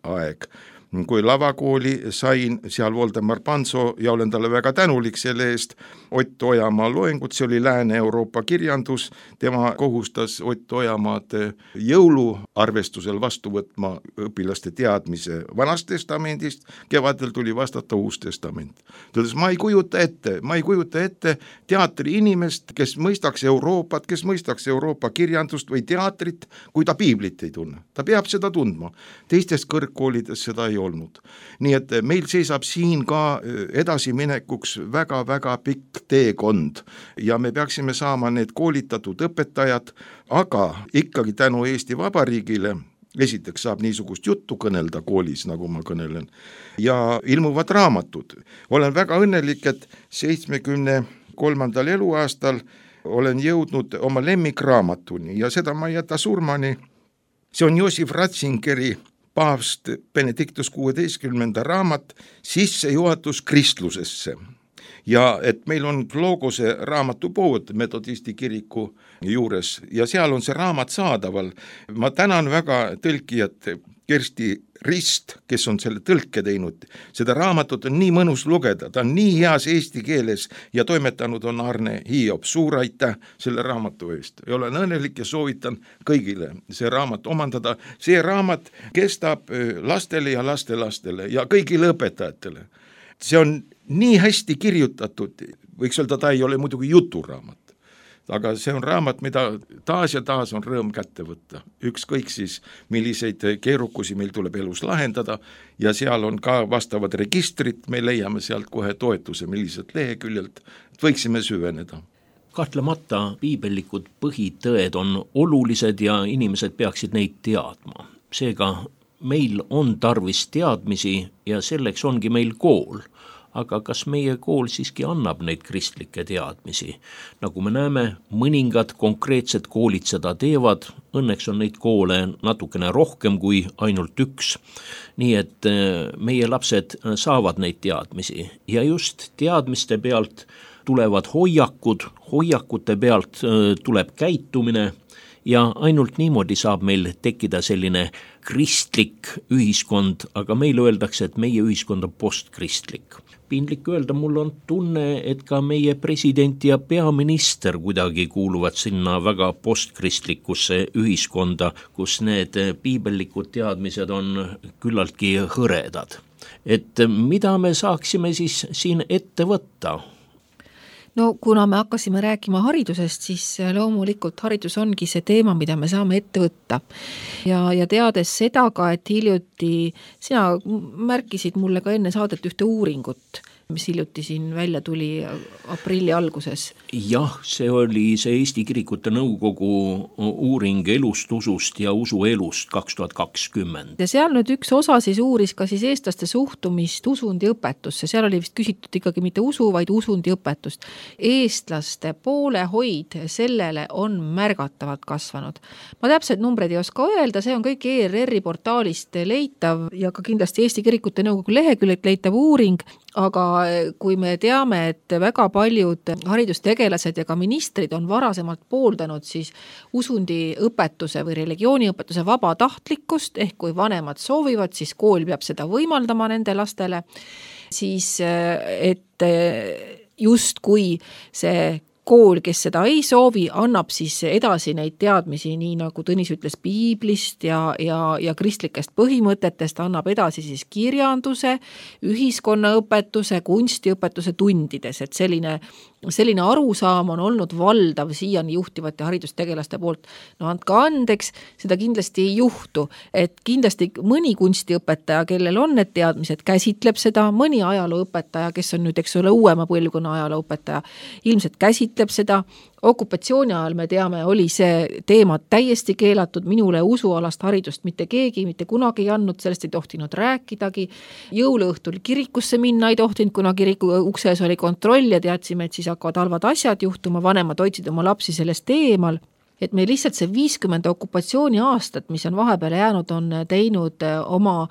aeg. Kui lavakooli sain, seal Voldemar Panso ja olen talle väga tänulik selle eest, Ott Ojamaa loengut, see oli Lääne-Euroopa kirjandus, tema kohustas Ott Ojamaad jõuluarvestusel vastu võtma õpilaste teadmise Vanast testamendist, kevadel tuli vastata Uus testament. Tõdes, ma ei kujuta ette, ma ei kujuta ette teatri inimest, kes mõistaks Euroopat, kes mõistaks Euroopa kirjandust või teatrit, kui ta piiblit ei tunne. Ta peab seda tundma. Teistes kõrgkoolides seda ei olnud. Nii et meil seisab siin ka edasiminekuks väga-väga pikk teekond ja me peaksime saama need koolitatud õpetajad, aga ikkagi tänu Eesti Vabariigile esiteks saab niisugust juttu kõnelda koolis, nagu ma kõnelen, ja ilmuvad raamatud. Olen väga õnnelik, et seitsmekümne kolmandal eluaastal olen jõudnud oma lemmikraamatuni ja seda ma ei jäta surmani. See on Josif Ratzingeri paavst Benedictus kuueteistkümnenda raamat Sissejuhatus kristlusesse. Ja et meil on Logose raamatupood metodisti kiriku juures ja seal on see raamat saadaval. Ma tänan väga tõlkijat Kersti Rist, kes on selle tõlke teinud. Seda raamatut on nii mõnus lugeda, ta on nii heas eesti keeles ja toimetanud on Arne Hiob. Suur aitäh selle raamatu eest. Ja olen õnnelik ja soovitan kõigile see raamat omandada. See raamat kestab lastele ja lastelastele ja kõigile õpetajatele. See on nii hästi kirjutatud, võiks öelda, ta ei ole muidugi juturaamat. Aga see on raamat, mida taas ja taas on rõõm kätte võtta. Ükskõik siis, milliseid keerukusi meil tuleb elus lahendada ja seal on ka vastavad registrid, me leiame sealt kohe toetuse, millised leheküljelt võiksime süveneda. Kahtlemata piibellikud põhitõed on olulised ja inimesed peaksid neid teadma. Seega meil on tarvis teadmisi ja selleks ongi meil kool. Aga kas meie kool siiski annab neid kristlikke teadmisi? Nagu me näeme, mõningad konkreetsed koolid seda teevad, õnneks on neid koole natukene rohkem kui ainult üks. Nii et meie lapsed saavad neid teadmisi ja just teadmiste pealt tulevad hoiakud, hoiakute pealt tuleb käitumine ja ainult niimoodi saab meil tekkida selline kristlik ühiskond, aga meile öeldakse, et meie ühiskond on postkristlik. Piinlik öelda, mul on tunne, et ka meie president ja peaminister kuidagi kuuluvad sinna väga postkristlikkusse ühiskonda, kus need piibellikud teadmised on küllaltki hõredad. Et mida me saaksime siis siin ette võtta? No kuna me hakkasime rääkima haridusest, siis loomulikult haridus ongi see teema, mida me saame ette võtta. Ja, ja teades seda ka, et hiljuti sina märkisid mulle ka enne saadet ühte uuringut, mis hiljuti siin välja tuli aprilli alguses. Jah, see oli see Eesti Kirikute Nõukogu uuring elust, usust ja usuelust kaks tuhat kakskümmend. Ja seal nüüd üks osa siis uuris ka siis eestlaste suhtumist usundi õpetusse. Seal oli vist küsitud ikkagi mitte usu, vaid usundi õpetust. Eestlaste poolehoid sellele on märgatavalt kasvanud. Ma täpselt numbreid ei oska öelda, see on kõik E R R-i portaalist leitav ja ka kindlasti Eesti Kirikute Nõukogu leheküljelt leitav uuring, aga kui me teame, et väga paljud haridustegelased ja ka ministrid on varasemalt pooldanud siis usundi õpetuse või religiooniõpetuse vabatahtlikkust, ehk kui vanemad soovivad, siis kool peab seda võimaldama nende lastele, siis et just kui see kool, kes seda ei soovi, annab siis edasi neid teadmisi, nii nagu Tõnis ütles piiblist ja, ja, ja kristlikest põhimõtetest, annab edasi siis kirjanduse, ühiskonnaõpetuse, kunstiõpetuse tundides, et selline, selline arusaam on olnud valdav siiani juhtivate haridustegelaste poolt. No andke andeks, seda kindlasti ei juhtu, et kindlasti mõni kunstiõpetaja, kellel on need teadmised, käsitleb seda, mõni ajalooõpetaja, kes on nüüd, eks ole, uuema põlvkonna ajalooõpetaja, ilmselt käsitleb seda. Okupatsiooni ajal me teame, oli see teema täiesti keelatud, minule usualast haridust mitte keegi, mitte kunagi ei andnud, sellest ei tohtinud rääkidagi. Jõuluõhtul kirikusse minna ei tohtinud, kuna kiriku ukses oli kontroll ja teadsime, et siis hakkavad halvad asjad juhtuma, vanemad hoidsid oma lapsi sellest eemal. Et me lihtsalt see viiskümmend okupatsiooni aastat, mis on vahepeal jäänud, on teinud oma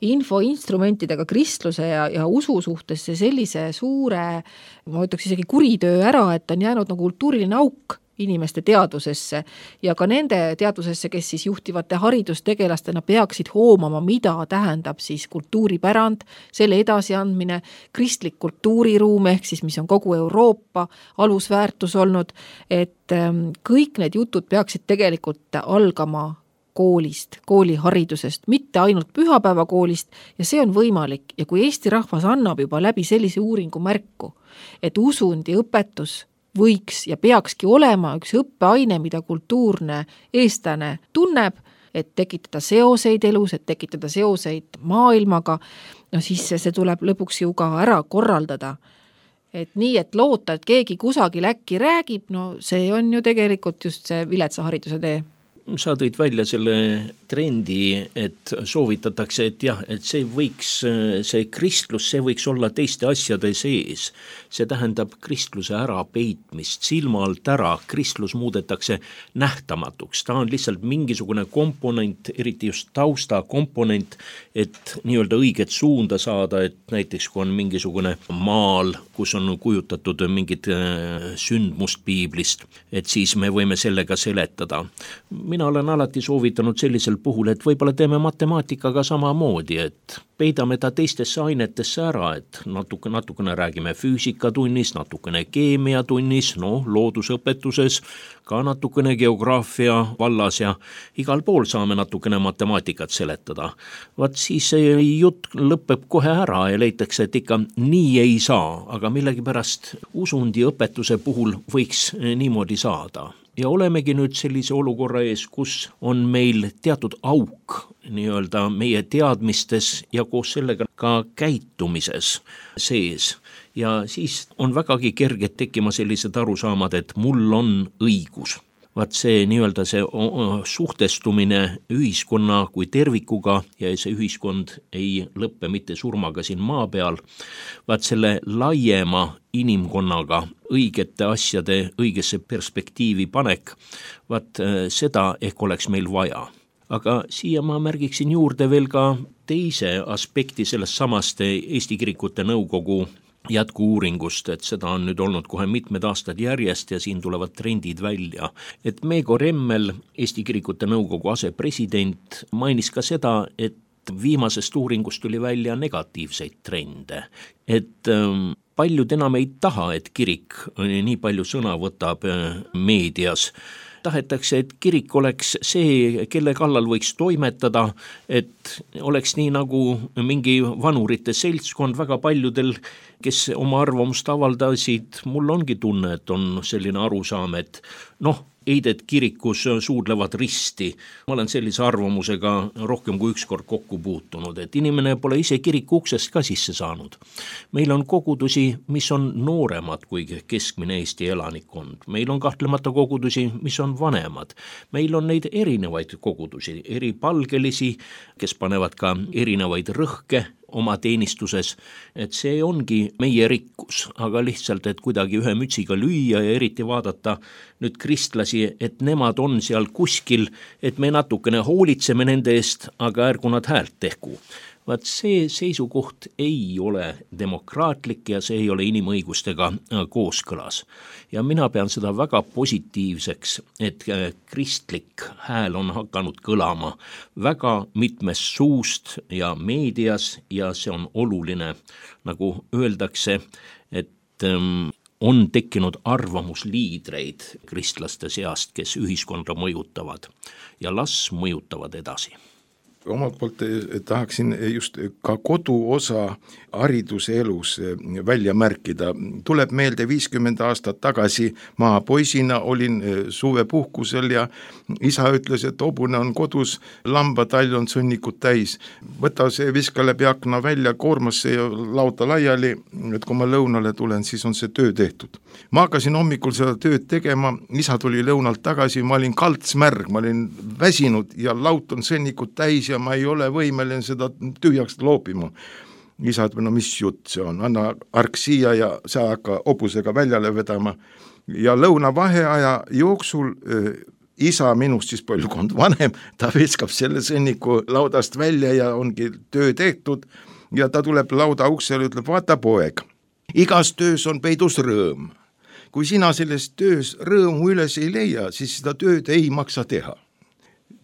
infoinstrumentidega kristluse ja, ja usu suhtes sellise suure, ma ütleks isegi kuritöö ära, et on jäänud nagu kultuuriline auk inimeste teadvusesse ja ka nende teadvusesse, kes siis juhtivate haridustegelastena peaksid hoomama, mida tähendab siis kultuuripärand, selle edasiandmine, kristlik kultuuriruum, ehk siis mis on kogu Euroopa alusväärtus olnud, et kõik need jutud peaksid tegelikult algama koolist, kooliharidusest, mitte ainult pühapäevakoolist ja see on võimalik ja kui Eesti rahvas annab juba läbi sellise uuringu märku, et usundi õpetus võiks ja peakski olema üks õppeaine, mida kultuurne eestlane tunneb, et tekitada seoseid elus, et tekitada seoseid maailmaga, no siis see tuleb lõpuks ju ka ära korraldada. Et nii, et loota, et keegi kusagil äkki räägib, no see on ju tegelikult just see viletsa hariduse tee. Sa tõid välja selle trendi, et soovitatakse, et jah, et see võiks, see kristlus, see võiks olla teiste asjade sees. See tähendab kristluse ära peitmist, silma alt ära, kristlus muudetakse nähtamatuks. Ta on lihtsalt mingisugune komponent, eriti just tausta komponent, et nii-öelda õiget suunda saada, et näiteks kui on mingisugune maal, kus on kujutatud mingid sündmust piiblist, et siis me võime sellega seletada. Mina olen alati soovitanud sellisel puhul, et võib-olla teeme matemaatikaga samamoodi, et peidame ta teistesse ainetesse ära, et natuke, natukene räägime füüsikatunnis, natukene keemiatunnis, no loodusõpetuses, ka natukene geograafia vallas ja igal pool saame natukene matemaatikat seletada. Vaat siis see jutt lõpeb kohe ära ja leitakse, et ikka nii ei saa, aga millegipärast usundi õpetuse puhul võiks niimoodi saada. Ja olemegi nüüd sellise olukorra ees, kus on meil teatud auk nii-öelda meie teadmistes ja koos sellega ka käitumises sees. Ja siis on vägagi kerged tekkima sellised arusaamad, et mul on õigus. Vaat see nii-öelda see suhtestumine ühiskonna kui tervikuga ja see ühiskond ei lõppe mitte surmaga siin maa peal, vaat selle laiema inimkonnaga õigete asjade õigesse perspektiivi panek, vaat seda ehk oleks meil vaja. Aga siia ma märgiksin juurde veel ka teise aspekti sellest samast Eesti Kirikute Nõukogu jätku-uuringust, et seda on nüüd olnud kohe mitmed aastad järjest ja siin tulevad trendid välja. Et Meego Remmel, Eesti Kirikute Nõukogu asepresident, mainis ka seda, et viimasest uuringust tuli välja negatiivseid trende. Et ähm, paljud enam ei taha, et kirik nii palju sõna võtab meedias. Tahetakse, et kirik oleks see, kelle kallal võiks toimetada, et oleks nii nagu mingi vanurite seltskond väga paljudel, kes oma arvamust avaldasid. Mul ongi tunne, et on selline arusaam, et noh, eided kirikus suudlevad risti. Ma olen sellise arvamusega rohkem kui ükskord kokku puutunud, et inimene pole ise kiriku uksest ka sisse saanud. Meil on kogudusi, mis on nooremad kui keskmine Eesti elanikkond. Meil on kahtlemata kogudusi, mis on vanemad. Meil on neid erinevaid kogudusi, eripalgelisi, kes panevad ka erinevaid rõhke oma teenistuses, et see ongi meie rikkus, aga lihtsalt, et kuidagi ühe mütsiga lüüa ja eriti vaadata nüüd kristlasi, et nemad on seal kuskil, et me natukene hoolitseme nende eest, aga ärgu nad häält tehku. Vaat see seisukoht ei ole demokraatlik ja see ei ole inimõigustega kooskõlas. Ja mina pean seda väga positiivseks, et kristlik hääl on hakanud kõlama väga mitmest suust ja meedias ja see on oluline, nagu öeldakse, et on tekkinud arvamusliidreid kristlaste seast, kes ühiskonda mõjutavad ja las mõjutavad edasi. Omalt poolt tahaksin just ka koduosa hariduse elus välja märkida. Tuleb meelde viiskümmend aastat tagasi maapoisina olin suvepuhkusel ja isa ütles, et hobune on kodus, lambatall on sõnnikut täis. Võta see, viska läbi akna välja, koormasse ja lauta laiali, et kui ma lõunale tulen, siis on see töö tehtud. Ma hakkasin hommikul seda tööd tegema, isa tuli lõunalt tagasi, ma olin kaltsmärg, ma olin väsinud ja laut on sõnnikut täis ja ma ei ole võimeline seda tühjaks loopima. Isa ütleb, no mis jutt see on, anna ark siia ja sa hakka hobusega väljale vedama. Ja lõuna vaheaja jooksul äh, isa minust siis põlvkond vanem, ta viskab selle sõnniku laudast välja ja ongi töö tehtud ja ta tuleb lauda uksele ja ütleb, vaata poeg, igas töös on peidus rõõm. Kui sina selles töös rõõmu üles ei leia, siis seda tööd ei maksa teha.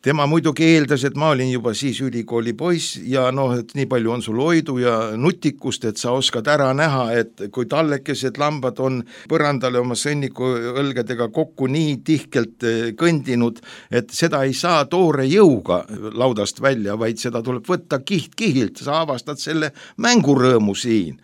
Tema muidugi eeldas, et ma olin juba siis ülikooli poiss ja noh, et nii palju on sul hoidu ja nutikust, et sa oskad ära näha, et kui tallekesed lambad on põrandale oma sõnniku õlgedega kokku nii tihkelt kõndinud, et seda ei saa toore jõuga laudast välja, vaid seda tuleb võtta kiht kihilt, sa avastad selle mängurõõmu siin.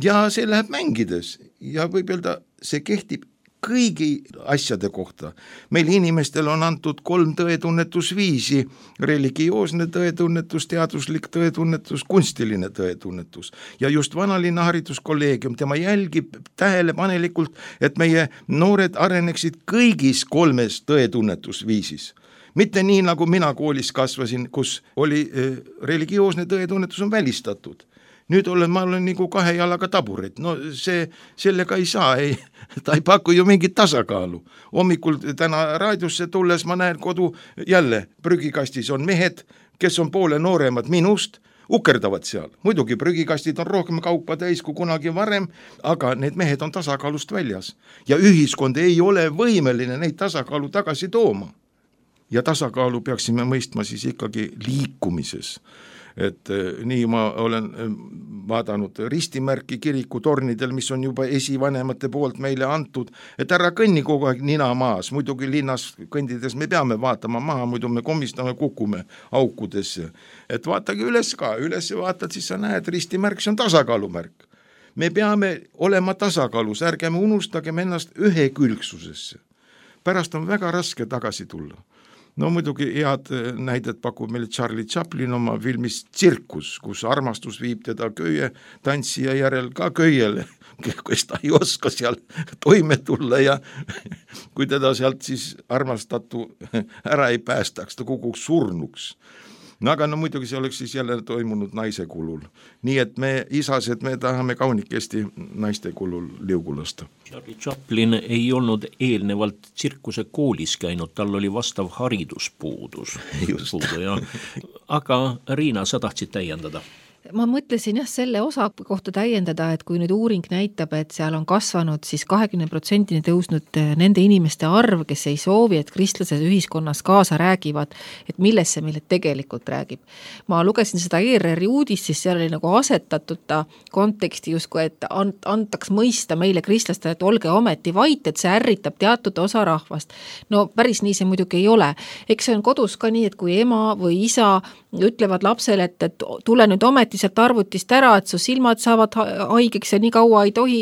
Ja see läheb mängides ja võib öelda, see kehtib kõigi asjade kohta. Meil inimestel on antud kolm tõetunnetusviisi, religioosne tõetunnetus, teaduslik tõetunnetus, kunstiline tõetunnetus. Ja just Vanalinna hariduskolleegium, tema jälgib tähelepanelikult, et meie noored areneksid kõigis kolmes tõetunnetusviisis. Mitte nii, nagu mina koolis kasvasin, kus oli religioosne tõetunnetus on välistatud. Nüüd olen, ma olen nagu kahe jalaga taburet, no see, sellega ei saa, ei, ta ei paku ju mingit tasakaalu. Hommikul täna raadiosse tulles ma näen kodu jälle prügikastis on mehed, kes on poole nooremad minust, ukerdavad seal. Muidugi prügikastid on rohkem kaupa täis kui kunagi varem, aga need mehed on tasakaalust väljas. Ja ühiskond ei ole võimeline neid tasakaalu tagasi tooma. Ja tasakaalu peaksime mõistma siis ikkagi liikumises. Et nii ma olen vaadanud ristimärki kirikutornidel, mis on juba esivanemate poolt meile antud, et ära kõnni kogu aeg nina maas, muidugi linnas kõndides me peame vaatama maha, muidu me komistame, kukume aukudesse. Et vaatagi üles ka, üles vaatad, siis sa näed, ristimärk, see on tasakaalumärk. Me peame olema tasakaalus, ärgeme unustagem ennast ühekülgsusesse. Pärast on väga raske tagasi tulla. No muidugi head näidet pakub meile Charlie Chaplin oma filmis Tsirkus, kus armastus viib teda köie tantsija järel ka köiele, kes ta ei oska seal toime tulla ja kui teda sealt siis armastatu ära ei päästaks, ta kukuks surnuks. No aga no muidugi see oleks siis jälle toimunud naise kulul. Nii et me isased, me tahame kaunikesti naiste kulul liugu lasta. Charlie Chaplin ei olnud eelnevalt tsirkuse koolis käinud, tal oli vastav hariduspuudus. Ja, aga Riina, sa tahtsid täiendada? ma mõtlesin jah selle osa kohta täiendada, et kui nüüd uuring näitab, et seal on kasvanud siis kahekümne protsendini tõusnud nende inimeste arv, kes ei soovi, et kristlased ühiskonnas kaasa räägivad, et millest see meile tegelikult räägib. Ma lugesin seda E R R-i uudist, siis seal oli nagu asetatud ta konteksti justkui, et antaks mõista meile kristlastele, et olge ometi vait, et see ärritab teatud osa rahvast. No päris nii see muidugi ei ole. Eks see on kodus ka nii, et kui ema või isa ütlevad lapsele, et, et tule nüüd ometi sealt arvutist ära, et su silmad saavad haigeks ja nii kaua ei tohi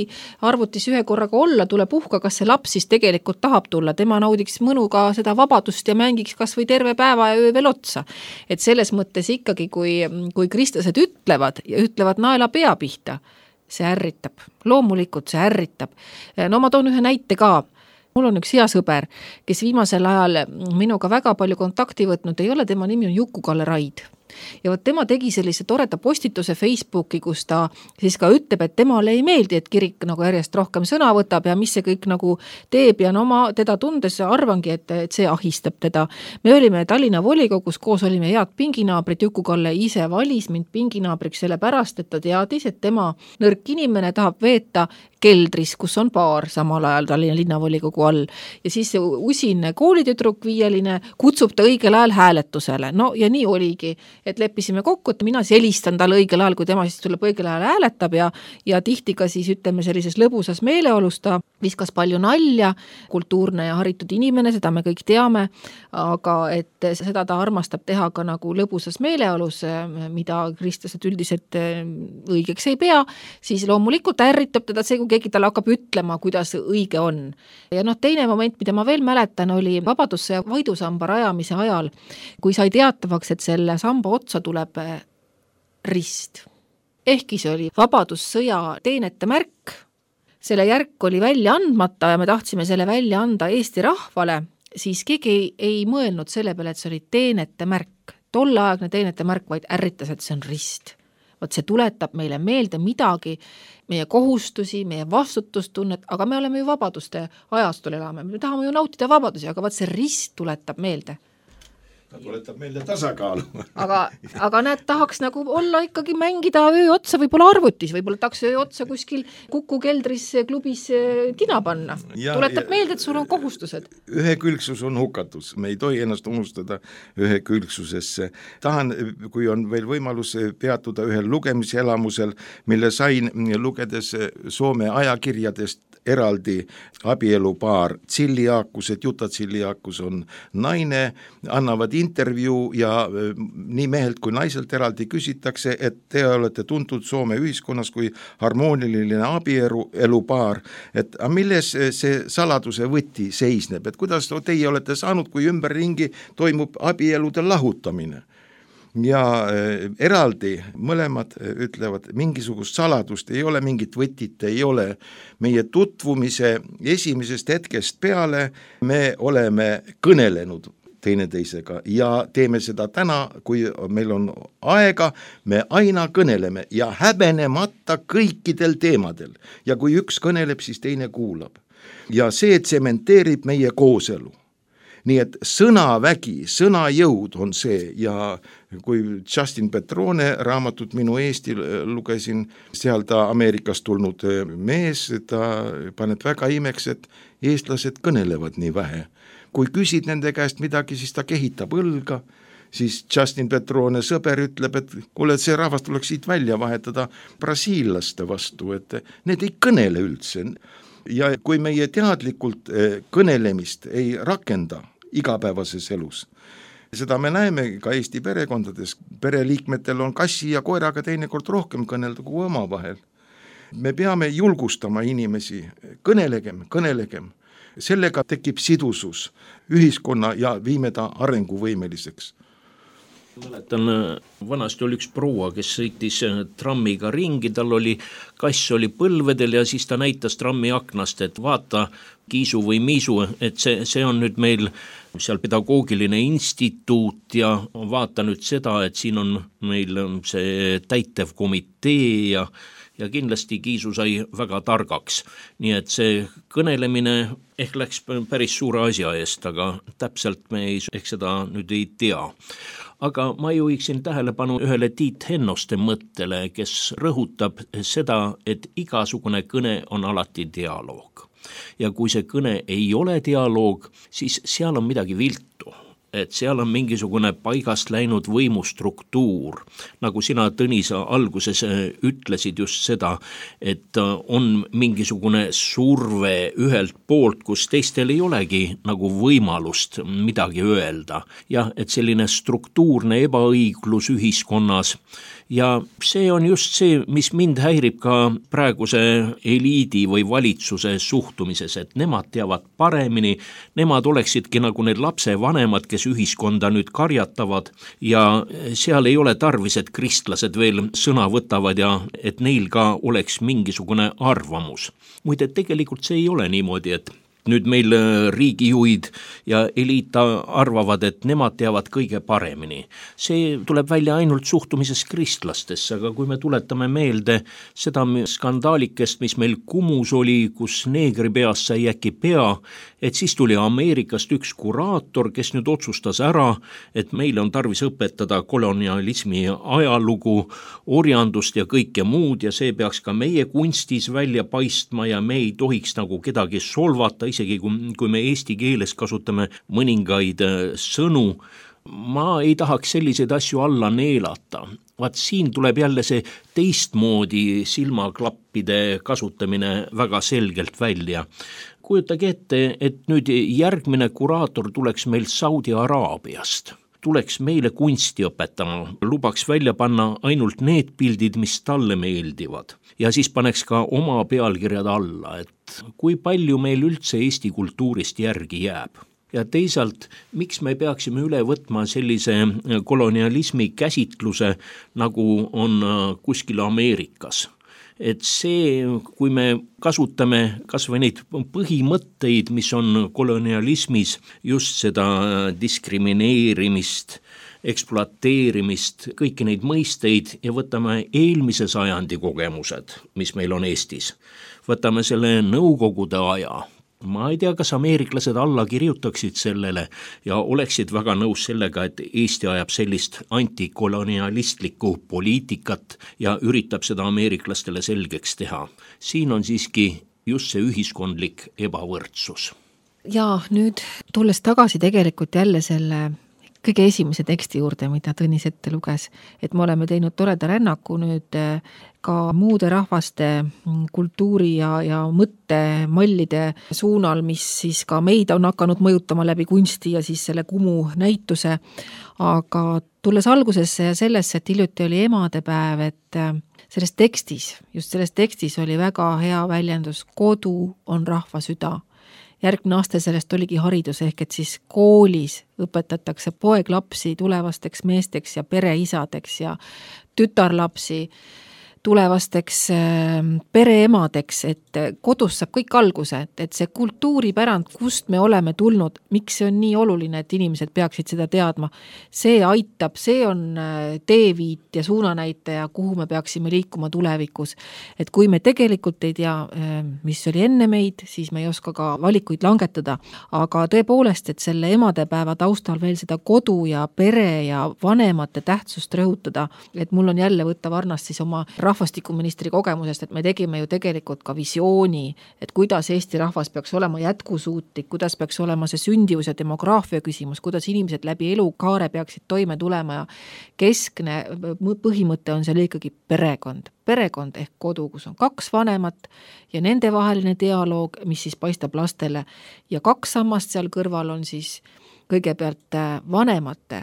arvutis ühe korraga olla, tule puhka, kas see laps siis tegelikult tahab tulla, tema naudiks mõnuga seda vabadust ja mängiks kas või terve päeva ja öö veel otsa. Et selles mõttes ikkagi, kui, kui kristlased ütlevad ja ütlevad naela pea pihta, see ärritab, loomulikult see ärritab. No ma toon ühe näite ka. Mul on üks hea sõber, kes viimasel ajal minuga väga palju kontakti võtnud, ei ole, tema nimi on Juku-Kalle Raid. Ja võt tema tegi sellise toreda postituse Facebooki, kus ta siis ka ütleb, et temale ei meeldi, et kirik nagu järjest rohkem sõna võtab ja mis see kõik nagu teeb ja no ma teda tundes arvangi, et, et see ahistab teda. Me olime Tallinna volikogus, koos olime head pinginaabrid, Juku-Kalle ise valis mind pinginaabriks selle pärast, et ta teadis, et tema nõrk inimene tahab veeta keldris, kus on baar samal ajal Tallinna linnavolikogu all. Ja siis usin koolitüdruk viieline kutsub ta õigel ajal hääletusele. No ja nii oligi, et leppisime kokku, et mina helistan talle õigel ajal, kui tema siis tuleb õigel ajal hääletab ja, ja tihti ka siis ütleme sellises lõbusas meeleolus ta viskas palju nalja, kultuurne ja haritud inimene, seda me kõik teame, aga et seda ta armastab teha ka nagu lõbusas meeleolus, mida kristlased üldiselt õigeks ei pea, siis loomulikult ärritab teda see, kui keegi talle hakkab ütlema, kuidas õige on. Ja noh, teine moment, mida ma veel mäletan, oli Vabadussõja Võidusamba rajamise ajal, kui sai teatavaks, et selle samba otsa tuleb rist. Ehkki see oli Vabadussõja teenete märk, selle järk oli välja andmata ja me tahtsime selle välja anda Eesti rahvale, siis keegi ei, ei mõelnud selle peale, et see oli teenete märk. Tolleaegne teenete märk vaid ärritas, et see on rist. Vaat see tuletab meile meelde midagi, meie kohustusi, meie vastutustunnet, aga me oleme ju vabaduste ajastul elame. Me tahame ju nautida vabadusi, aga vaat see rist tuletab meelde. Ta tuletab meelde tasakaalu. aga, aga näed, tahaks nagu olla ikkagi mängida öö otsa võib-olla arvutis, võib-olla tahaks öö otsa kuskil Kuku keldris klubis tina panna. Ja, tuletab ja, meelde, et sul on kohustused. Ühekülgsus on hukatus, me ei tohi ennast unustada ühekülgsusesse. Tahan, kui on veel võimalus peatuda ühel lugemiselamusel, mille sain lugedes Soome ajakirjadest eraldi abielupaar Tsilliaakus, et Juta Tsilliaakus on naine, annavad intervjuu ja nii mehelt kui naiselt eraldi küsitakse, et te olete tuntud Soome ühiskonnas kui harmooniline abielupaar, et milles see saladuse võti seisneb, et kuidas teie olete saanud, kui ümberringi toimub abielude lahutamine. Ja eraldi mõlemad ütlevad, mingisugust saladust ei ole, mingit võtit ei ole. Meie tutvumise esimesest hetkest peale me oleme kõnelenud teineteisega ja teeme seda täna, kui meil on aega, me aina kõneleme ja häbenemata kõikidel teemadel. Ja kui üks kõneleb, siis teine kuulab. Ja see tsementeerib meie kooselu. Nii et sõnavägi, sõnajõud on see ja kui Justin Petrone raamatut Minu Eesti lugesin, seal ta Ameerikast tulnud mees, ta paneb väga imeks, et eestlased kõnelevad nii vähe. Kui küsid nende käest midagi, siis ta kehitab õlga, siis Justin Petrone sõber ütleb, et kuule, et see rahvas tuleks siit välja vahetada brasiillaste vastu, et need ei kõnele üldse. Ja kui meie teadlikult kõnelemist ei rakenda igapäevases elus, seda me näeme ka Eesti perekondades, pereliikmetel on kassi ja koeraga teinekord rohkem kõnelda kui oma vahel. Me peame julgustama inimesi, kõnelegem, kõnelegem, sellega tekib sidusus ühiskonna ja viime ta arenguvõimeliseks. Mäletan, vanasti oli üks proua, kes sõitis trammiga ringi, tal oli kass oli põlvedel ja siis ta näitas trammi aknast, et vaata Kiisu või Miisu, et see, see on nüüd meil seal pedagoogiline instituut ja vaata nüüd seda, et siin on meil see täitev komitee ja ja kindlasti Kiisu sai väga targaks. Nii et see kõnelemine ehk läks päris suure asja eest, aga täpselt me ei, ehk seda nüüd ei tea. Aga ma juhiksin tähelepanu ühele Tiit Hennoste mõttele, kes rõhutab seda, et igasugune kõne on alati dialoog. Ja kui see kõne ei ole dialoog, siis seal on midagi viltu. Et seal on mingisugune paigast läinud võimustruktuur. Nagu sina, Tõnis, alguses ütlesid just seda, et on mingisugune surve ühelt poolt, kus teistel ei olegi nagu võimalust midagi öelda. Jah, et selline struktuurne ebaõiglus ühiskonnas. Ja see on just see, mis mind häirib ka praeguse eliidi või valitsuse suhtumises, et nemad teavad paremini, nemad oleksidki nagu need lapsevanemad, kes ühiskonda nüüd karjatavad ja seal ei ole tarvis, et kristlased veel sõna võtavad ja et neil ka oleks mingisugune arvamus. Muide, tegelikult see ei ole niimoodi, et nüüd meil riigijuhid ja eliit arvavad, et nemad teavad kõige paremini. See tuleb välja ainult suhtumises kristlastesse, aga kui me tuletame meelde seda skandaalikest, mis meil Kumus oli, kus neegri peast sai äkki pea, et siis tuli Ameerikast üks kuraator, kes nüüd otsustas ära, et meile on tarvis õpetada kolonialismi ajalugu, orjandust ja kõike muud ja see peaks ka meie kunstis välja paistma ja me ei tohiks nagu kedagi solvata, isegi kui, kui me eesti keeles kasutame mõningaid sõnu. Ma ei tahaks selliseid asju alla neelata. Vaat siin tuleb jälle see teistmoodi silmaklappide kasutamine väga selgelt välja. Kujutage ette, et nüüd järgmine kuraator tuleks meil Saudi Araabiast. Tuleks meile kunsti õpetama, lubaks välja panna ainult need pildid, mis talle meeldivad. Ja siis paneks ka oma pealkirjad alla, et kui palju meil üldse Eesti kultuurist järgi jääb. Ja teisalt, miks me peaksime üle võtma sellise kolonialismi käsitluse, nagu on kuskil Ameerikas. Et see, kui me kasutame kas või neid põhimõtteid, mis on kolonialismis, just seda diskrimineerimist, ekspluateerimist, kõiki neid mõisteid ja võtame eelmise sajandi kogemused, mis meil on Eestis. Võtame selle Nõukogude aja. Ma ei tea, kas ameeriklased alla kirjutaksid sellele ja oleksid väga nõus sellega, et Eesti ajab sellist antikolonialistlikku poliitikat ja üritab seda ameeriklastele selgeks teha. Siin on siiski just see ühiskondlik ebavõrdsus. Ja nüüd tulles tagasi tegelikult jälle selle kõige esimese teksti juurde, mida Tõnis ette luges, et me oleme teinud toreda rännaku nüüd ka muude rahvaste kultuuri ja, ja mõttemallide suunal, mis siis ka meid on hakanud mõjutama läbi kunsti ja siis selle Kumu näituse. Aga tulles algusesse ja sellesse, et hiljuti oli emadepäev, et selles tekstis, just selles tekstis oli väga hea väljendus, kodu on rahva süda. Järgmine aasta sellest oligi haridus ehk et siis koolis õpetatakse poeglapsi tulevasteks meesteks ja pereisadeks ja tütarlapsi tulevasteks pereemadeks, et kodus saab kõik alguse, et see kultuuripärand, kust me oleme tulnud, miks see on nii oluline, et inimesed peaksid seda teadma. See aitab, see on teeviit ja suunanäitaja, kuhu me peaksime liikuma tulevikus. Et kui me tegelikult ei tea, mis oli enne meid, siis me ei oska ka valikuid langetada. Aga tõepoolest, et selle emadepäeva taustal veel seda kodu ja pere ja vanemate tähtsust rõhutada, et mul on jälle võtta varnast siis oma rahvastikuministri kogemusest, et me tegime ju tegelikult ka visiooni, et kuidas Eesti rahvas peaks olema jätkusuutlik, kuidas peaks olema see sündivus ja demograafia küsimus, kuidas inimesed läbi elukaare peaksid toime tulema ja keskne põhimõte on seal ikkagi perekond. Perekond ehk kodu, kus on kaks vanemat ja nende vaheline dialoog, mis siis paistab lastele ja kaks sammast seal kõrval on siis kõigepealt vanemate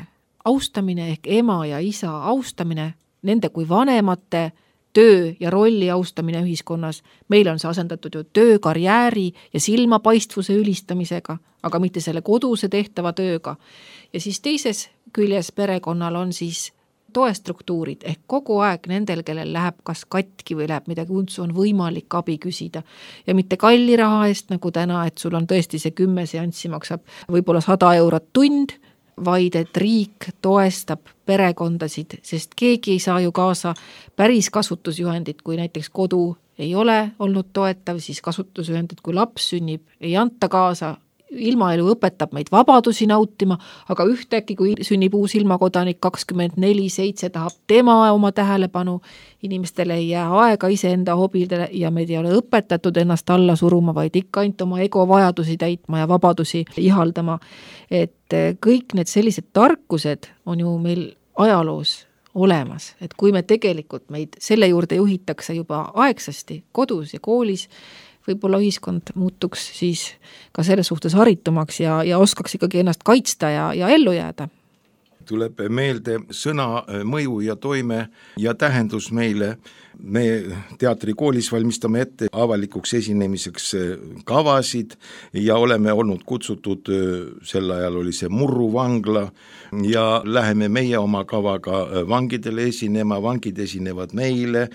austamine ehk ema ja isa austamine, nende kui vanemate töö ja rolli austamine ühiskonnas. Meil on see asendatud ju töö, karjääri ja silmapaistvuse ülistamisega, aga mitte selle koduse tehtava tööga. Ja siis teises küljes perekonnal on siis toestruktuurid ehk kogu aeg nendel, kellel läheb kas katki või läheb midagi untsu, on võimalik abi küsida. Ja mitte kalli raha eest nagu täna, et sul on tõesti see kümme seanssi maksab võib-olla sada eurot tund, vaid et riik toestab perekondasid, sest keegi ei saa ju kaasa päris kasutusjuhendit, kui näiteks kodu ei ole olnud toetav, siis kasutusjuhendid, kui laps sünnib, ei anta kaasa. Ilmaelu õpetab meid vabadusi nautima, aga ühtäkki, kui sünnib uus ilmakodanik kakskümmend neli seitse, tahab tema oma tähelepanu, inimestele ei jää aega iseenda hobidele ja meid ei ole õpetatud ennast alla suruma, vaid ikka ainult oma ego vajadusi täitma ja vabadusi ihaldama. Et kõik need sellised tarkused on ju meil ajaloos olemas, et kui me tegelikult meid selle juurde juhitakse juba aegsasti kodus ja koolis, võib-olla ühiskond muutuks siis ka selles suhtes haritumaks ja, ja oskaks ikkagi ennast kaitsta ja, ja ellu jääda. Tuleb meelde sõna mõju ja toime ja tähendus meile. Me teatrikoolis valmistame ette avalikuks esinemiseks kavasid ja oleme olnud kutsutud, sel ajal oli see Murru vangla ja läheme meie oma kavaga vangidele esinema, vangid esinevad meile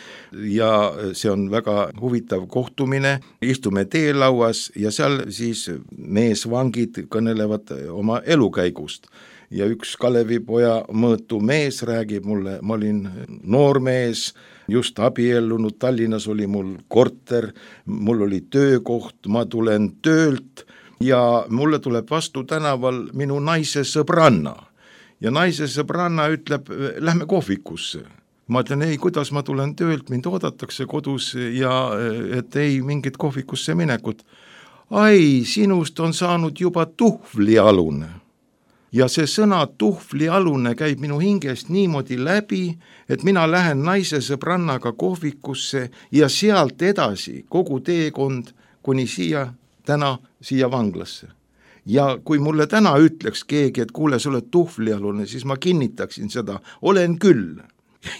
ja see on väga huvitav kohtumine. Istume teelauas ja seal siis meesvangid kõnelevad oma elukäigust. Ja üks Kalevipoja mõõtu mees räägib mulle, ma olin noor mees, just abiellunud, Tallinnas oli mul korter, mul oli töökoht, ma tulen töölt ja mulle tuleb vastu tänaval minu naise sõbranna. Ja naise sõbranna ütleb, lähme kohvikusse. Ma ütlen, ei, kuidas ma tulen töölt, mind oodatakse kodus ja et ei mingit kohvikusse minekut. Ai, sinust on saanud juba tuhvlialune. Ja see sõna tuhvlialune käib minu hingest niimoodi läbi, et mina lähen naise sõbrannaga kohvikusse ja sealt edasi kogu teekond kuni siia, täna siia vanglasse. Ja kui mulle täna ütleks keegi, et kuule, sa oled tuhvlialune, siis ma kinnitaksin seda, olen küll.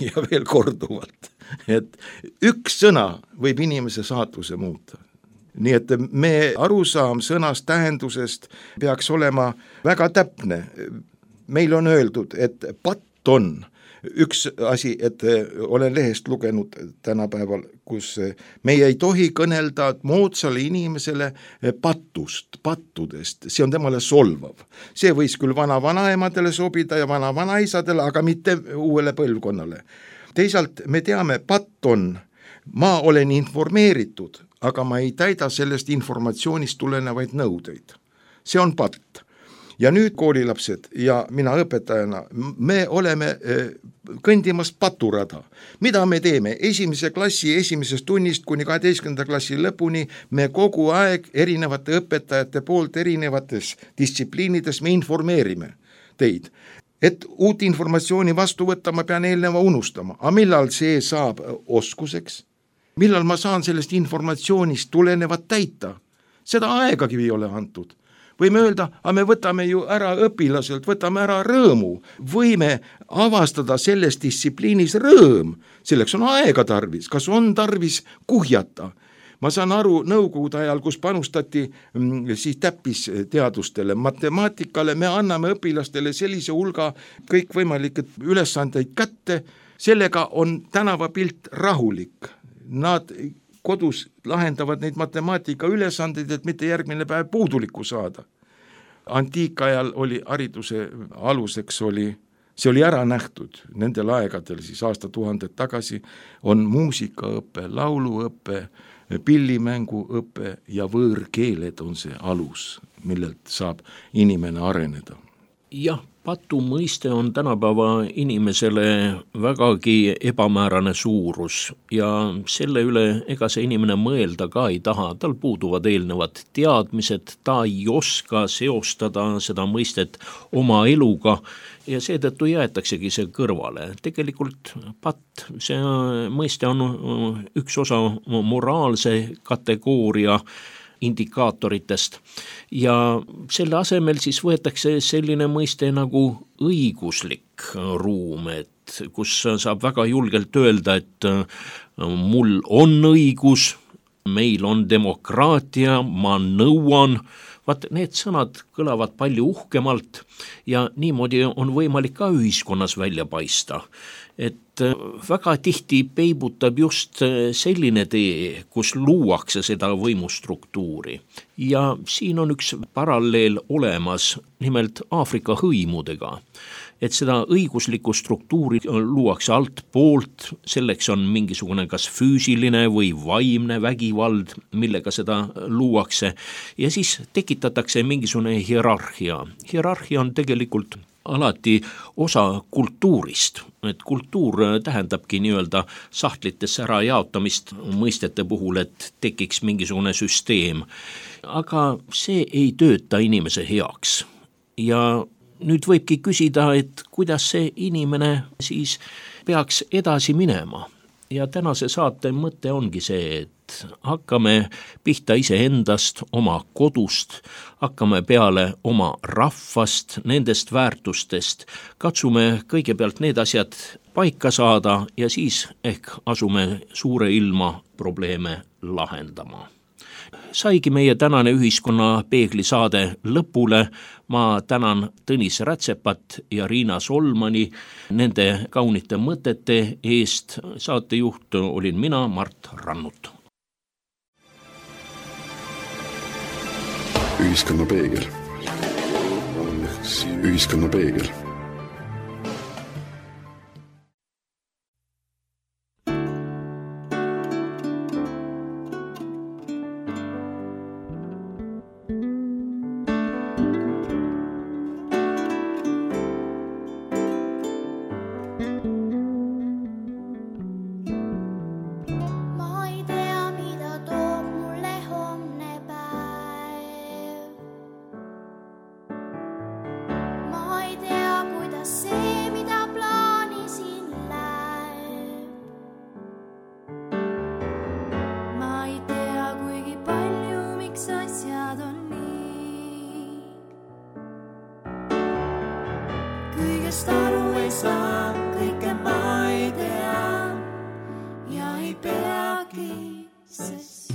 Ja veel korduvalt, et üks sõna võib inimese saatuse muuta. Nii et me arusaam sõnast tähendusest peaks olema väga täpne. Meil on öeldud, et patt on üks asi, et olen lehest lugenud tänapäeval, kus meie ei tohi kõnelda moodsale inimesele pattust, pattudest, see on temale solvav. See võis küll vana vanaemadele sobida ja vana vanaisadele, aga mitte uuele põlvkonnale. Teisalt me teame, patt on, ma olen informeeritud, aga ma ei täida sellest informatsioonist tulenevaid nõudeid. See on patt. Ja nüüd koolilapsed ja mina õpetajana, me oleme kõndimas paturada. Mida me teeme? Esimese klassi esimesest tunnist kuni kaheteistkümnenda klassi lõpuni me kogu aeg erinevate õpetajate poolt erinevates distsipliinides me informeerime teid. Et uut informatsiooni vastu võtta, ma pean eelneva unustama. Aga millal see saab oskuseks? Millal ma saan sellest informatsioonist tulenevat täita? Seda aegagi ei ole antud. Võime öelda, aga me võtame ju ära õpilaselt, võtame ära rõõmu. Võime avastada selles distsipliinis rõõm. Selleks on aega tarvis. Kas on tarvis kuhjata? Ma saan aru nõukogude ajal, kus panustati siis täppisteadustele, matemaatikale, me anname õpilastele sellise hulga kõikvõimalikke ülesandeid kätte. Sellega on tänavapilt rahulik. Nad kodus lahendavad neid matemaatika ülesandeid, et mitte järgmine päev puudulikku saada. Antiikajal oli hariduse aluseks, oli, see oli ära nähtud nendel aegadel, siis aastatuhanded tagasi, on muusikaõppe, lauluõppe, pillimänguõppe ja võõrkeeled on see alus, millelt saab inimene areneda. Jah, patu mõiste on tänapäeva inimesele vägagi ebamäärane suurus ja selle üle ega see inimene mõelda ka ei taha, tal puuduvad eelnevad teadmised, ta ei oska seostada seda mõistet oma eluga ja seetõttu jäetaksegi see kõrvale. Tegelikult patt, see mõiste on üks osa moraalse kategooria indikaatoritest ja selle asemel siis võetakse selline mõiste nagu õiguslik ruum, et kus saab väga julgelt öelda, et mul on õigus, meil on demokraatia, ma nõuan, vaat need sõnad kõlavad palju uhkemalt ja niimoodi on võimalik ka ühiskonnas välja paista. et väga tihti peibutab just selline tee, kus luuakse seda võimustruktuuri. Ja siin on üks paralleel olemas, nimelt Aafrika hõimudega. Et seda õiguslikku struktuuri luuakse alt poolt, selleks on mingisugune kas füüsiline või vaimne vägivald, millega seda luuakse, ja siis tekitatakse mingisugune hierarhia. Hierarhia on tegelikult alati osa kultuurist, et kultuur tähendabki nii-öelda sahtlitesse ära jaotamist mõistete puhul, et tekiks mingisugune süsteem. Aga see ei tööta inimese heaks ja nüüd võibki küsida, et kuidas see inimene siis peaks edasi minema. Ja tänase saate mõte ongi see, et hakkame pihta iseendast, oma kodust, hakkame peale oma rahvast, nendest väärtustest, katsume kõigepealt need asjad paika saada ja siis ehk asume suure ilma probleeme lahendama. Saigi meie tänane ühiskonna peeglisaade lõpule. Ma tänan Tõnis Rätsepat ja Riina Solmani nende kaunite mõtete eest. Saatejuht olin mina, Mart Rannut. Ühiskonna peegel. Ühiskonna peegel. Kõigest aru ei saa, kõike ma ei tea ja ei peagi, sest